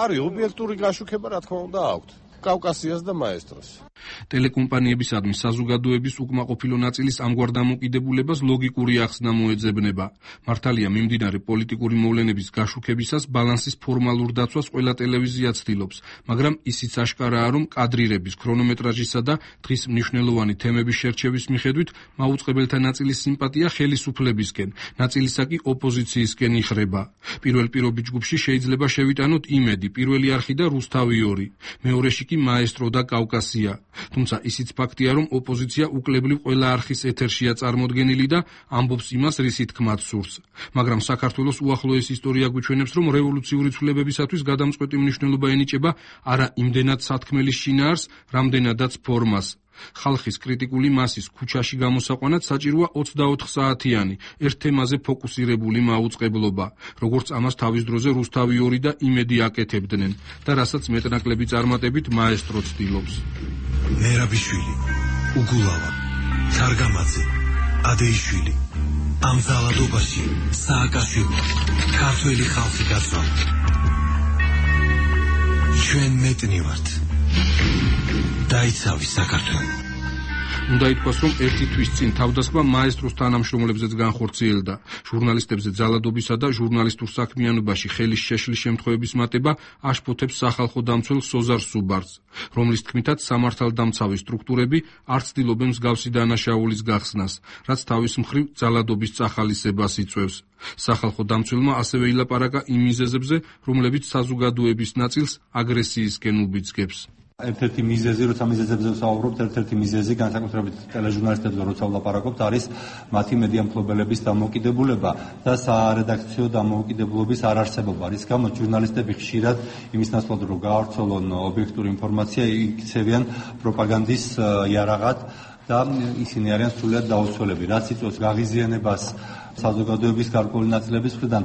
არის ობიექტური გაშუქება, რა თქმა უნდა, აქვთ. კავკასიას და მაესტროს. ტელეკომპანიებისადმი საზოგადოების უკმაყოფილო ნაწილის ამგვარ დამოკიდებულებას ლოგიკური ახსნა მოეძებნება. მართალია მიმდინარე პოლიტიკური მოვლენების გაშუქებისას ბალანსის ფორმალურ დაცვას ყველა ტელევიზია ცდილობს, მაგრამ ისიც აშკარაა, რომ კადრირების, ქრონომეტრაჟისა და დღის მნიშვნელოვანი თემების შერჩევის მიხედვით მაუწყებელთა ნაწილის სიმპათია ხელისუფლებისკენ, ნაწილისა კი ოპოზიციისკენ იხრება. პირველ პირობით ჯგუფში შეიძლება შევიტანოთ იმედი, პირველი არხი და რუსთავი 2, მეორეში კი მაესტრო და კავკასია. თუმცა ისიც ფაქტია, რომ ოპოზიცია უკლებლივ ყველა არხის ეთერშია წარმოდგენილი და ამბობს იმას, რისი თქმაც სურს. მაგრამ საქართველოს უახლოეს ისტორია გვიჩვენებს, რომ რევოლუციური ცვლილებებისათვის გადამწყვეტი მნიშვნელობა ენიჭება არა იმდენად სათქმელის შინაარს, რამდენადაც ფორმას. ხალხის კრიტიკული მასის ქუჩაში გამოსაყვანად საჭიროა 24 საათიანი, ერთ თემაზე ფოკუსირებული მაუწყებლობა, როგორც ამას თავის დროზე რუსთავი 2 და იმედი აკეთებდნენ და რასაც მეტნაკლები წარმატებით მაესტრო ცდილობს. მერაბიშვილი, უგულავა, სარგამაძე, ადეიშვილი, ამ ძალადობაში სააკაშვილი, ქართველი ხალხი გაწვა. ჩვენ მეტნი ვართ. დაიცავი საქართველო. უნდა ითქვას, რომ ერთი თვის წინ თავდასხმა მაესტროს თანამშრომლებზეც განხორციელდა. ჟურნალისტებზე ძალადობისა და ჟურნალისტურ საქმიანობაში ხელის შეშლის შემთხვევების მატება აშფოთებს სახალხო დამცველ სოზარ სუბარს, რომლის თქმითაც სამართალდამცავი სტრუქტურები არ ცდილობენ მსგავსი დანაშაულის გახსნას, რაც თავის მხრივ ძალადობის წახალისებას იწვევს. სახალხო დამცველმა ასევე ილაპარაკა იმ მიზეზებზე, რომლებიც საზოგადოების ნაწილს აგრესიისკენ უბიძგებს. ერთ-ერთი მიზეზი, როცა მიზეზებზე ვსაუბრობთ, ერთ-ერთი მიზეზი განსაკუთრებით ტელეჟურნალისტებზე როცა ვლაპარაკობთ, არის მათი მედია მფლობელების დამოუკიდებლობა და სარედაქციო დამოუკიდებლობის არარსებობა. რის გამოც ჟურნალისტები ხშირად იმის ნაცვლად რომ გაავრცელონ ობიექტური ინფორმაცია, იქცევიან პროპაგანდის იარაღად და ისინი არიან სრულად დაუცველები, რაც იწვევს გაღიზიანებას საზოგადოების გარკვეული ნაწილების მხრიდან.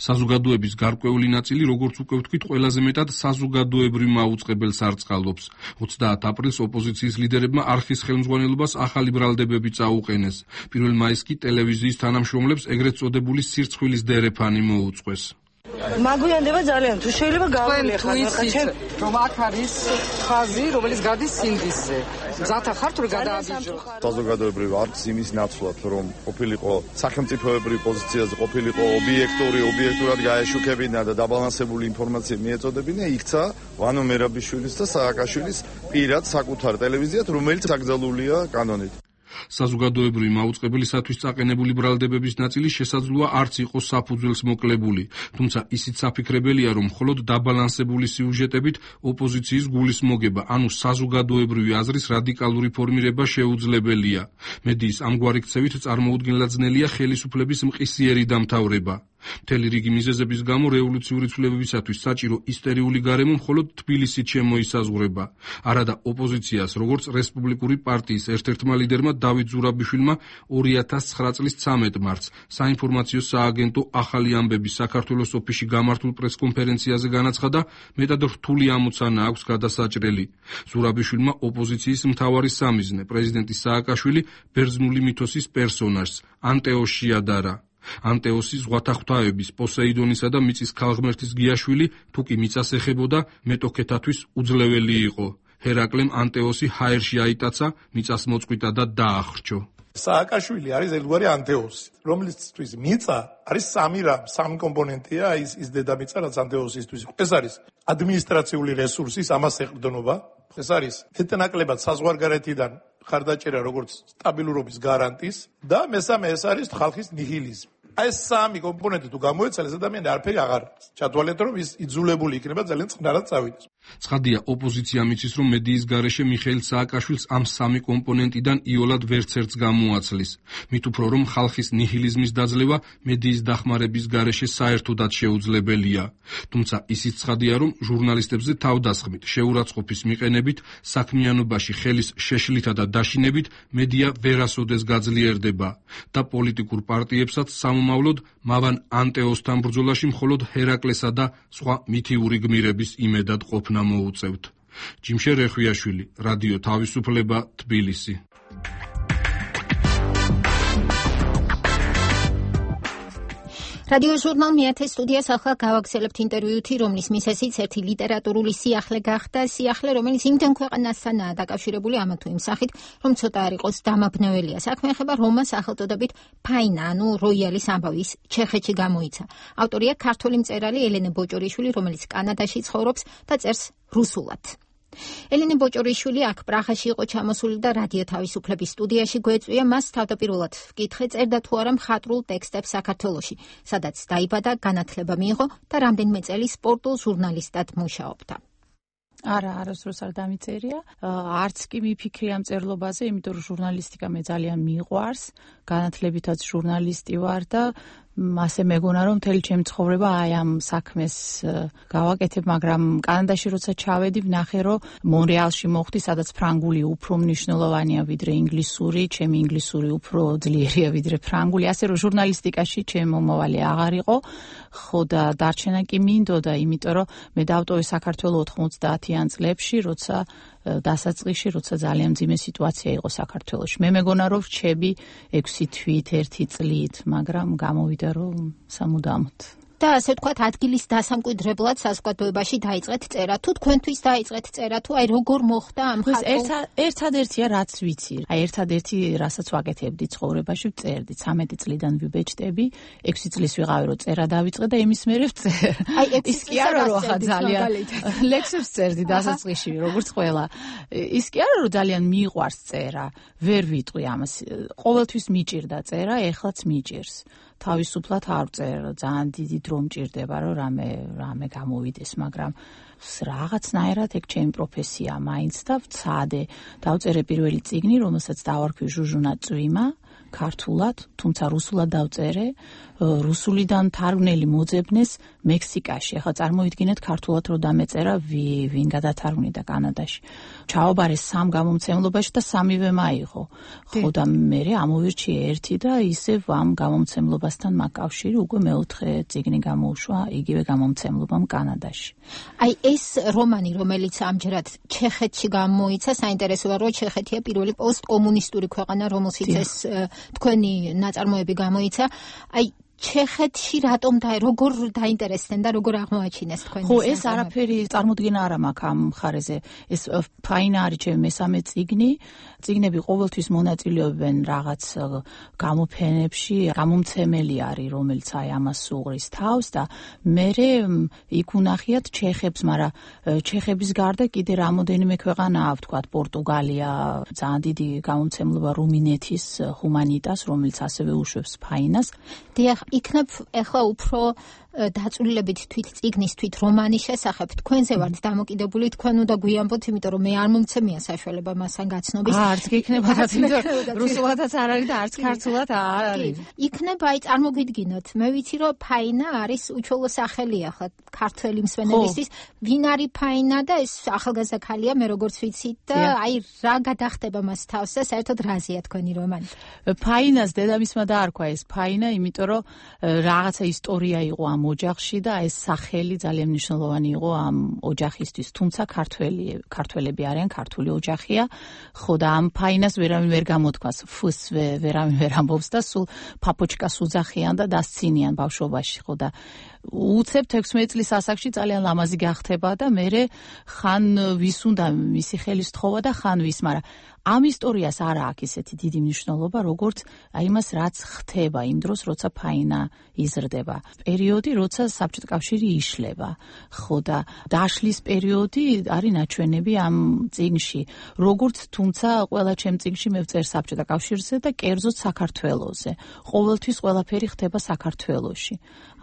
საზოგადოების გარკვეული ნაწილი, როგორც უკვე ვთქვით, ყველაზე მეტად საზოგადოებრივ მაუწყებელს არწყალობს. 30 აპრილს ოპოზიციის ლიდერებმა არხის ხელმძღვანელობას ახალი ბრალდებები წაუყენეს. 1 მაისს კი ტელევიზიის თანამშრომლებს ეგრეთ წოდებული სირცხვილის დერეფანი მოუწყვეს. მაგვიანდება ძალიან, თუ შეიძლება გავიეხარ, რომ აქ არის ხაზი, რომელიც გადის სინდისზე. მზათა ხართ რომ გადააბიჯო. საზოგადოებრივ არქს იმის ნაცვლად, რომ ყოფილიყო სახელმწიფოებრივ პოზიციაზე, ყოფილიყო ობიექტურად გაეშუქებინა და დაბალანსებული ინფორმაცია მიეწოდებინა, იქცა ვანო მერაბიშვილის და სააკაშვილის პირად საკუთარ ტელევიზიად, რომელიც აკრძალულია კანონით. საზოგადოებრივი მაუწყებელისათვის წაყენებული ბრალდებების ნაწილი შესაძლოა არც იყოს საფუძველს მოკლებული, თუმცა ისიც საფიქრებელია, რომ მხოლოდ დაბალანსებული სიუჟეტებით ოპოზიციის გულის მოგება, ანუ საზოგადოებრივი აზრის რადიკალური ფორმირება შეუძლებელია. მედიის ამგვარი ქცევით წარმოუდგენლად ძნელია ხელისუფლების მყისიერი დამთავრება. მთელი რიგი მიზეზების გამო რევოლუციური ცვლილებებისათვის საჭირო ისტერიული გარემო მხოლოდ თბილისით შემოისაზღვრება. არადა ოპოზიციას, როგორც რესპუბლიკური პარტიის ერთ-ერთმა ლიდერმა დავით ზურაბიშვილმა 2009 წლის 13 მარტს საინფორმაციო სააგენტო ახალი ამბები საქართველოს ოფისში გამართულ პრესკონფერენციაზე განაცხადა, მეტად რთული ამოცანა აქვს გადასაჭრელი. ზურაბიშვილმა ოპოზიციის მთავარი სამიზნე, პრეზიდენტი სააკაშვილი ბერძნული მითოსის პერსონაჟს ანტეოსს შეადარა. ანტეოსი ზღვათა ღვთაების პოსეიდონისა და მიწის ქალღმერთის გიაშვილი, თუ კი მიწას ეხებოდა, მეტოქეთათვის უძლეველი იყო. ჰერაკლემ ანტეოსი ჰაერში აიტაცა, მიწას მოწყვიტა და დაახრჩო. სააკაშვილი არის ერთგვარი ანტეოსი, რომლისთვის მიწა არის სამი კომპონენტია, ის დედამიწა, რაც ანტეოსისთვის იყო. ეს არის ადმინისტრაციული რესურსის ამას ეყრდნობა, ეს არის მეტნაკლებად საზღვარგარეთიდან ხარდაჭერა როგორც სტაბილურობის გარანტის და მესამე ეს არის ხალხის ნიჰილიზმი. აი ეს სამი კომპონენტი თუ გამოეცალეს, ადამიანი არაფერი აღარ არის. ჩათვალეთ, რომ ის იძულებული იქნება ძალიან წყნარად წავიდეს. ცხადია, ოპოზიცია მიცის, რომ მედიის გარეშე მიხეილ სააკაშვილს ამ სამი კომპონენტიდან იოლად ვერცერთს გამოაცლის. მით უფრო რომ ხალხის ნიჰილიზმის დაძლევა მედიის დახმარების გარეშე საერთოდაც შეუძლებელია. თუმცა ისიც ცხადია, რომ ჟურნალისტებზე თავდასხმით, შეურაცხყოფის მიყენებით, საქმიანობაში ხელის შეშლითა და დაშინებით მედია ვერასოდეს გაძლიერდება და პოლიტიკურ პარტიებსაც სამომავლოდ მავან ანტეოსთან ბრძოლაში მხოლოდ ჰერაკლესა და სხვა მითიური გმირების იმედად ყოფნა მოუწევთ. ჯიმშე რეხვიაშვილი, რადიო თავისუფლება, თბილისი. რადიო ჟურნალ მეათე სტუდიას ახლა გავაგზავნებთ ინტერვიუთი, რომლის მისესიც ერთი ლიტერატურული სიახლე გახდა, სიახლე, რომელიც იმდენ ქვეყანასთანაა დაკავშირებული ამა თუ იმ სახით, რომ ცოტა არ იყოს დამაბნეველია. საქმე ეხება რომას სახელწოდებით ფაინა, ანუ როიალის ამბავის ჩეხეთში გამოიცა. ავტორია ქართველი მწერალი ელენე ბოჭორიშვილი, რომელიც კანადაში ცხოვრობს და წერს რუსულად. ელენე ბოჭორიშვილი აქ პრაღაში იყო ჩამოსული და რადიო თავისუფლების სტუდიაში გვეწვია მას თავდაპირველად ვკითხე, წერდა თუ არა მხატვრულ ტექსტებს საქართველოში, სადაც დაიბადა, განათლება მიიღო და რამდენიმე წელი სპორტულ ჟურნალისტად მუშაობდა. არა, არასდროს არ დამიწერია. არც კი მიფიქრე ამ წერლობაზე, იმიტომ რომ ჟურნალისტიკა მე ძალიან მიყვარს, განათლებითაც ჟურნალისტი ვარ და ასე მეგონა რომ მთელი ჩემი ცხოვრება აი ამ საქმეს გავაკეთებ, მაგრამ კანადაში როცა ჩავედი, ვნახე რომ მონრეალში მოხვდი, სადაც ფრანგული უფრო მნიშვნელოვანია ვიდრე ინგლისური, ჩემი ინგლისური უფრო ძლიერია ვიდრე ფრანგული, ასე რომ ჟურნალისტიკაში ჩემი მომავალი აღარ იყო, ხო და დარჩენა კი მინდოდა, იმიტომ რომ მე დავტოვე საქართველოს 90-იან წლებში, როცა დასაწყისში, როცა ძალიან მძიმე სიტუაცია იყო საქართველოში. მე მეგონა რომ რჩები 6 თვით, 1 წლით, მაგრამ გამოვიდა რომ სამუდამოდ. და ასე ვთქვათ, ადგილის დასამკვიდრებლად საზოგადოებაში დაიწყეთ წერა. თუ თქვენთვის დაიწყეთ წერა, თუ აი როგორ მოხდა ამ ხალხო? ერთადერთია რაც ვიცი. აი ერთადერთი რასაც ვაკეთებდი ცხოვრებაში, ვწერდი. 13 წლიდან ვიბეჭდები, 6 წლის ვიყავი რომ წერა დავიწყე და იმის მერე ვწერ. აი ის კი არა რომ ახლა ძალიან ლექსებს წერდი დასაწყისში, როგორც ყველა. ის კი არა რომ ძალიან მიყვარს წერა, ვერ ვიტყვი ამას. ყოველთვის მიჭირდა წერა, ეხლაც მიჭირს. თავისუფლად არ ვწერ, ძალიან დიდი დრო მჭირდება, რომ რამე გამოვიდეს, მაგრამ რაღაცნაირად ეგ ჩემი პროფესია მაინც და ვცადე. დავწერე პირველი წიგნი, რომელსაც დავარქვი ჟუჟუნა წვიმა, ქართულად, თუმცა რუსულად დავწერე, რუსულიდან თარგმნელი მოძებნეს მექსიკაში. ახლა წარმოიდგინეთ ქართულად რომ დამეწერა ვინ გადათარგმნიდა კანადაში. ჩაობარე 3 გამომცემლობაში და 3-ვე მაიღო. ხო და მე ამოვირჩიე ერთი და ისევ ამ გამომცემლობასთან მაკავშირი უკვე მეოთხე წიგნი გამოუშვა იგივე გამომცემლობამ კანადაში. აი ეს რომანი, რომელიც ამჯერად ჩეხეთში გამოიცა, საინტერესოა რომ ჩეხეთია პირველი პოსტკომუნისტური ქვეყანა, რომელშიც ეს თქვენი ნაწარმოები გამოიცა. აი ჩეხეთში რატომ როგორ დაინტერესდნენ და როგორ აღმოაჩინეს თქვენი? ხო, ეს არაფერი წარმოდგენა არ მაქვს ამ მხარეზე. ეს ფაინა არის ჩემი მესამე წიგნი. წიგნები ყოველთვის მონაწილეობენ რაღაც გამოფენებში, გამომცემელი არის, რომელიც აი ამას უღრის თავს და მე იქ უნახიათ ჩეხებს, მაგრამ ჩეხების გარდა კიდე რამოდენიმე ქვეყანაა, ვთქვათ, პორტუგალია, ძალიან დიდი გამომცემლობა რუმინეთის ჰუმანიტას, რომელიც ასევე უშვებს ფაინას. დიახ, იქნებ ახლა უფრო დაწვრილებით თვით წიგნის, თვით რომანის შესახებ თქვენზე ვართ დამოკიდებული, თქვენ უნდა გვიამბოთ, იმიტომ რომ მე არ მომცემია საშუალება მასთან გაცნობის. არც გიქნებათ, იმიტომ რუსულადაც არ არის და არც ქართულად არ არის. იქნება, აი წარმოგიდგინოთ, მე ვიცი რომ ფაინა არის უჩვეულო სახელი ახლა ქართველი მსმენელისთვის, ვინ არის ფაინა და ეს ახალგაზრდა ქალია, მე როგორც ვიცით და აი რა გადახდება მას თავს და საერთოდ რაზეა თქვენი რომანი? ფაინას დედამისმა დაარქვა ეს ფაინა, იმიტომ რომ რაღაცა ისტორია იყო ამ ოჯახში და ეს სახელი ძალიან მნიშვნელოვანი იყო ამ ოჯახისთვის, თუმცა ქართველები არიან, ქართული ოჯახია, ხო და ამ ფაინას ვერავინ ვერ გამოთქვას, ფუს ვერავინ ვერ ამბობს და სულ პაპოჩკას უძახიან და დასცინიან ბავშვობაში, ხო და უცებ 16 წლის ასაკში ძალიან ლამაზი გახდება და მე ხან ვის უნდა მისი ხელის თხოვა და ხან ვის, მაგრამ ამ ისტორიას არ აქვს ისეთი დიდი მნიშვნელობა, როგორც აი მას რაც ხდება იმ დროს, როცა ფაინა იზრდება. პერიოდი, როცა საბჭოთა კავშირი იშლება. ხო და დაშლის პერიოდი არის ნაჩვენები ამ წიგნში. როგორც თუმცა ყველა ჩემ წიგნში მე ვწერ საბჭოთა კავშირზე და კერძოდ საქართველოზე. ყოველთვის ყველაფერი ხდება საქართველოში.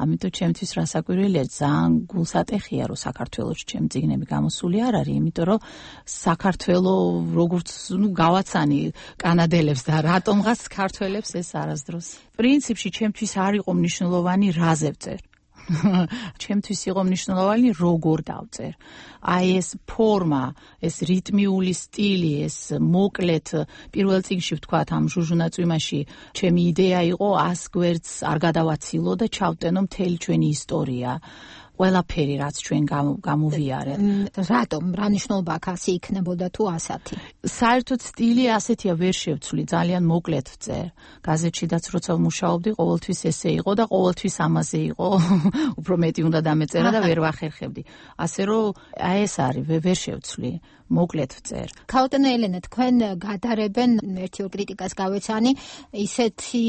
ამიტომ ჩემთვის რასაკვირველია, ძალიან გულსატეხია, რომ საქართველოში ჩემი წიგნები გამოსული არ არის, იმიტომ რომ საქართველო როგორც გავაცანი კანადელებს და რატომღაც ქართველებს ეს არასდროს. პრინციპში ჩემთვის არ იყო მნიშვნელოვანი რაზე ვწერ. ჩემთვის იყო მნიშვნელოვანი როგორ დავწერ. აი ეს ფორმა, ეს რიტმიული სტილი, ეს მოკლედ პირველ წიგნში ვთქვათ ამ ჟუჟუნა წვიმაში ჩემი იდეა იყო 100 გვერდს არ გადავაცილო და ჩავტენო მთელი ჩვენი ისტორია. ყველაფერი რაც ჩვენ გამოვიარეთ. რატომ? რა მნიშვნელობა აქვს ასე იქნებოდა თუ ასათი? საერთოდ სტილი ასეთია ვერ შევცვლი, ძალიან მოკლედ ვწერ. გაზეთშიდაც როცა ვმუშაობდი, ყოველთვის ესე იყო და ყოველთვის ამაზე იყო. უფრო მეტი უნდა დამეწერა და ვერ ვახერხებდი. ასე რომ აი ეს არის, ვერ შევცვლი. მოკლედ ვწერ. ქაუტენა ელენა, თქვენ გადარებენ ერთი-ორ კრიტიკას გავეცანი, ისეთი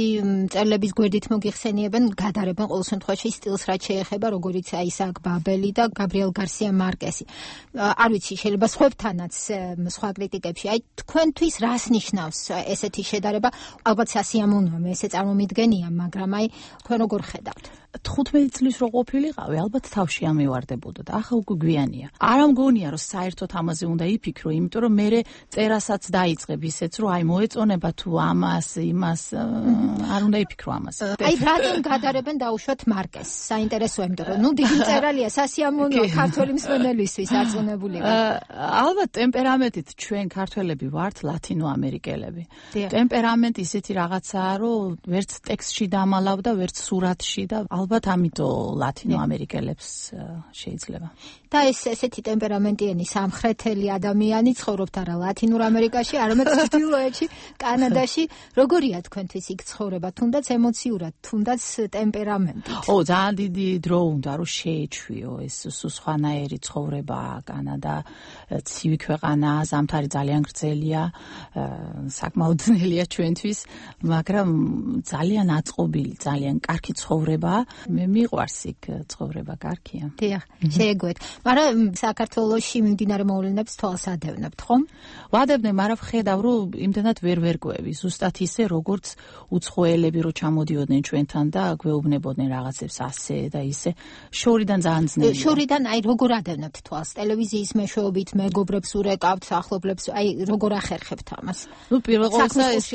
წერილების გვერდით მოგიხსენიებენ, გადარებენ ყოველ შემთხვევაში სტილს, რაც შეეხება, როგორიც აი ისააკ ბაბელი და გაბრიელ გარსია მარკესი. არ ვიცი, შეიძლება სხვებთანაც სხვა კრიტიკებში, აი თქვენთვის რას ნიშნავს ესეთი შედარება? ალბათ სასიამოვნოა, მე ესე წარმომიდგენია, მაგრამ აი თქვენ როგორ ხედავთ? 15 წლის რო ყოფილიყავი, ალბათ თავში ამივარდებოდა და ახლა უკვე გვიანია. არ ამგონია, რომ საერთოდ ამაზე უნდა იფიქრო, იმიტომ რომ მე წერასაც დაიწყებ ისეც, რომ აი მოეწონება თუ ამას, იმას, არ უნდა იფიქრო ამაზე. აი რატომ გადარებენ დაუშვათ მარკეს? საინტერესოა, იმიტომ რომ ნუ დიდი წერალია, სასიამოვნოა ქართველი მსმენელისთვის არწმუნებული. ალბათ ტემპერამენტით ჩვენ ქართველები ვართ ლათინოამერიკელები. ტემპერამენტი ისეთი რაღაცაა, რომ ვერც ტექსტში დამალავ და ვერც სურათში და ალბათ ამიტომ ლათინოამერიკელებს შეიძლება. და ესეთი ტემპერამენტიანი სამხრეთელი ადამიანი ცხოვრობთ არა ლათინურ ამერიკაში, არამედ ჩრდილოეთში, კანადაში. როგორია თქვენთვის იქ ცხოვრება, თუნდაც ემოციურად, თუნდაც ტემპერამენტით? ძალიან დიდი დრო უნდა რომ შეეჩვიო ეს სხვანაირი ცხოვრება. კანადა ცივი ქვეყანაა, ზამთარი ძალიან გრძელია, საკმაოდ ძნელია ჩვენთვის, მაგრამ ძალიან აწყობილი, ძალიან კარგი ცხოვრება. მე მიყვარს იქ ცხოვრება, კარგია. დიახ, შეეგუეთ. მაგრამ საქართველოში მიმდინარე მოვლენებს თვალს ადევნებთ, ხომ? ვადევნებ, მაგრამ ვხედავ, რომ იმდენად ვერ ვერკვევი, ზუსტად ისე, როგორც უცხოელები რო ჩამოდიოდნენ ჩვენთან და გვეუბნებოდნენ რაღაცებს ასე და ისე. შორიდან ძალიან ძნელია. შორიდან აი როგორ ადევნებთ თვალს? ტელევიზიის მეშვეობით მეგობრებს ურეკავთ, ახლობლებს, აი როგორ ახერხებთ ამას? ნუ პირველ ყოვლისა ეს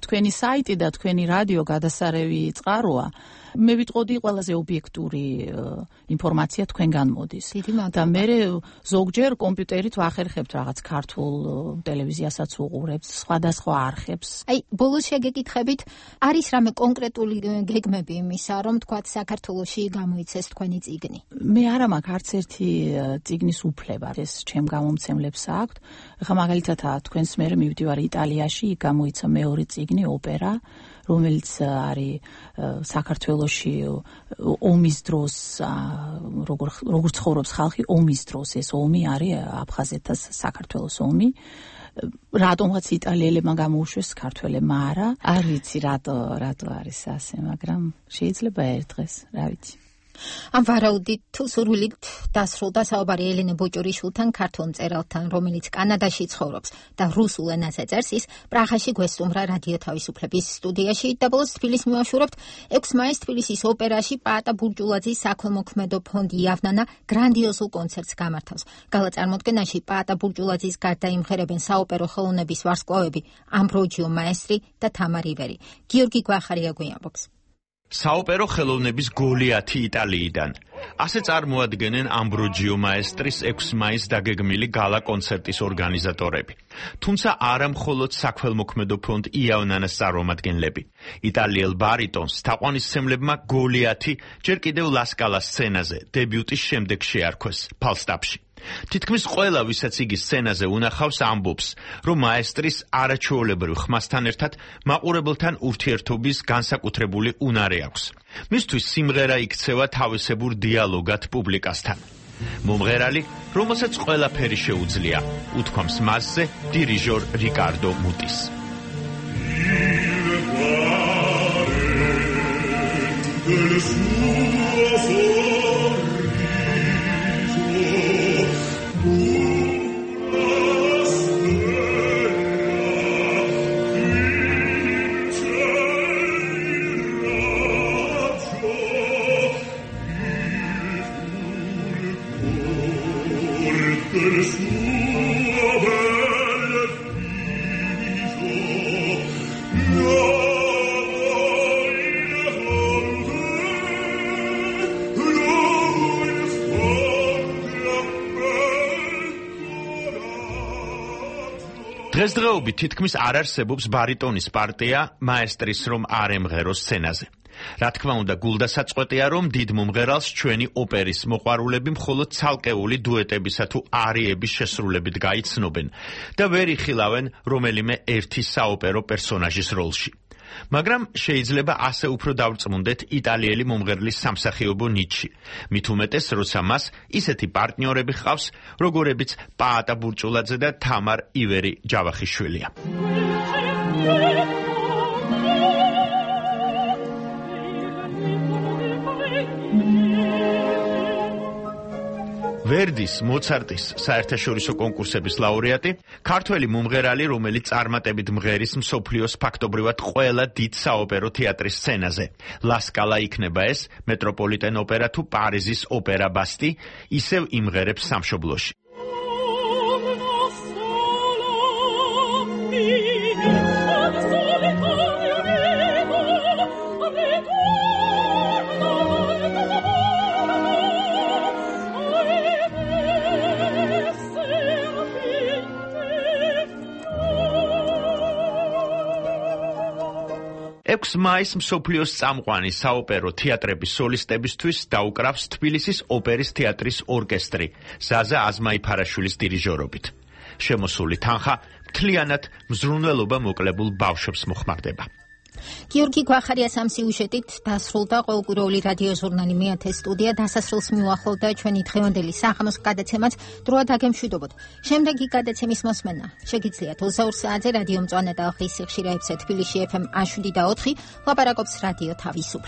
თქვენი საიტი და თქვენი რადიო გადასარევი წყაროა. მე ვიტყოდი ყველაზე ობიექტური ინფორმაცია თქვენგან მოდის. და მე ზოგჯერ კომპიუტერით ვახერხებთ რაღაც ქართულ ტელევიზიასაც უყურებთ, სხვადასხვა არხებს. აი, ბოლოს შეგეკითხებით, არის რამე კონკრეტული გეგმები იმისა, რომ თქვათ საქართველოში გამოიცეს თქვენი წიგნი? მე არა მაქვს არც ერთი წიგნის უფლება. ეს ჩემ გამომცემლებს აქვთ. ხა მაგალითად თქვენს მერე მივდივარ იტალიაში, იქ გამოიცა მეორე წიგნი, ოპერა, რომელიც არის საქართველოში ომის დროს, როგორ ცხოვრობს ხალხი ომის დროს, ეს ომი არის აფხაზეთას საქართველოს ომი. რატომღაც იტალიელებმა გამოუშვეს, ქართველებმა არა. არ ვიცი რატო არის ასე, მაგრამ შეიძლება ერთ დღეს, რა ვიცი. ამ ვარაუდით თუ სურვილით დასრულდა საუბარი ელენე ბოჭორიშვილთან, ქართულ მწერალთან, რომელიც კანადაში ცხოვრობს და რუსულ ენაზე წერს, ის პრაღაში გვესტუმრა რადიო თავისუფლების სტუდიაში და ბოლოს თბილისს მივაშურებთ 6 მაისს თბილისის ოპერაში პაატა ბურჯულაძის საქველმოქმედო ფონდი იავნანა გრანდიოზულ კონცერტს გამართავს. გალა წარმოდგენაში პაატა ბურჯულაძის გარდა იმღერებენ საოპერო ხელოვნების ვარსკვლავები ამბროჯიო მაესტრი და თამარ ივერი. გიორგი გვახარია გვიამბობს. საოპერო ხელოვნების გოლიათი იტალიიდან. ასე წარმოადგენენ ამბროჯიო მაესტრის 6 მაისს დაგეგმილი გალა კონცერტის ორგანიზატორები. თუმცა არა მხოლოდ საქველმოქმედო ფონდ იავნანას წარმომადგენლები. იტალიელ ბარიტონს თაყვანისმცემლებმა გოლიათი ჯერ კიდევ ლასკალას სცენაზე დებიუტის შემდეგ შეარქვეს ფალსტაფში. თითქმის ყველა, ვისაც იგი სცენაზე უნახავს, ამბობს, რომ მაესტრის არაჩვეულებრივ ხმასთან ერთად მაყურებელთან ურთიერთობის განსაკუთრებული უნარი აქვს. მისთვის სიმღერა იქცევა თავისებურ დიალოგად პუბლიკასთან. მომღერალი, რომელსაც ყველაფერი შეუძლია, უთქვამს მასზე დირიჟორ რიკარდო მუტის. დღესდღეობით თითქმის არ არსებობს ბარიტონის პარტია მაესტრის რომ არ ემღეროს სცენაზე. რა თქმა უნდა, გულდასაწყვეტია, რომ დიდ მომღერალს ჩვენი ოპერის მოყვარულები მხოლოდ ცალკეული დუეტებისა თუ არიების შესრულებით გაიცნობენ და ვერ იხილავენ რომელიმე ერთი საოპერო პერსონაჟის როლში. მაგრამ შეიძლება ასე უფრო დავრწმუნდეთ იტალიელი მომღერლის სამსახიობო ნიჩი. მით უმეტეს, როცა მას ისეთი პარტნიორები ჰყავს, როგორებიც პაატა ბურჭულაძე და თამარ ივერი ჯავახიშვილია. ვერდის, მოცარტის საერთაშორისო კონკურსების ლაურეატი, ქართველი მომღერალი, რომელიც წარმატებით მღერის მსოფლიოს ფაქტობრივად ყველა დიდ საოპერო თეატრის სცენაზე. ლა სკალა იქნება ეს, მეტროპოლიტენ ოპერა თუ პარიზის ოპერა ბასტი, ისევ იმღერებს სამშობლოში. მაისს მსოფლიოს წამყვანი საოპერო თეატრების სოლისტებისთვის დაუკრავს თბილისის ოპერის თეატრის ორკესტრი ზაზა აზმაიფარაშვილის დირიჟორობით. შემოსული თანხა მთლიანად მზრუნველობა მოკლებულ ბავშვებს მოხმარდება. გიორგი გვახარიას ამ სიუჟეტით დასრულდა ყოველკვირეული რადიო ჟურნალი მეათე სტუდია დასასრულს მიუახლოვდა ჩვენი დღევანდელი სახამოს გადაცემაც დროა დაგემშვიდობოთ. შემდეგი გადაცემის მოსმენა შეგიძლიათ 22 საათზე რადიო მწვანე და ახლის სიხშირეებზე თბილისში FM 107 და 4 ლაპარაკობს რადიო თავისუფლება.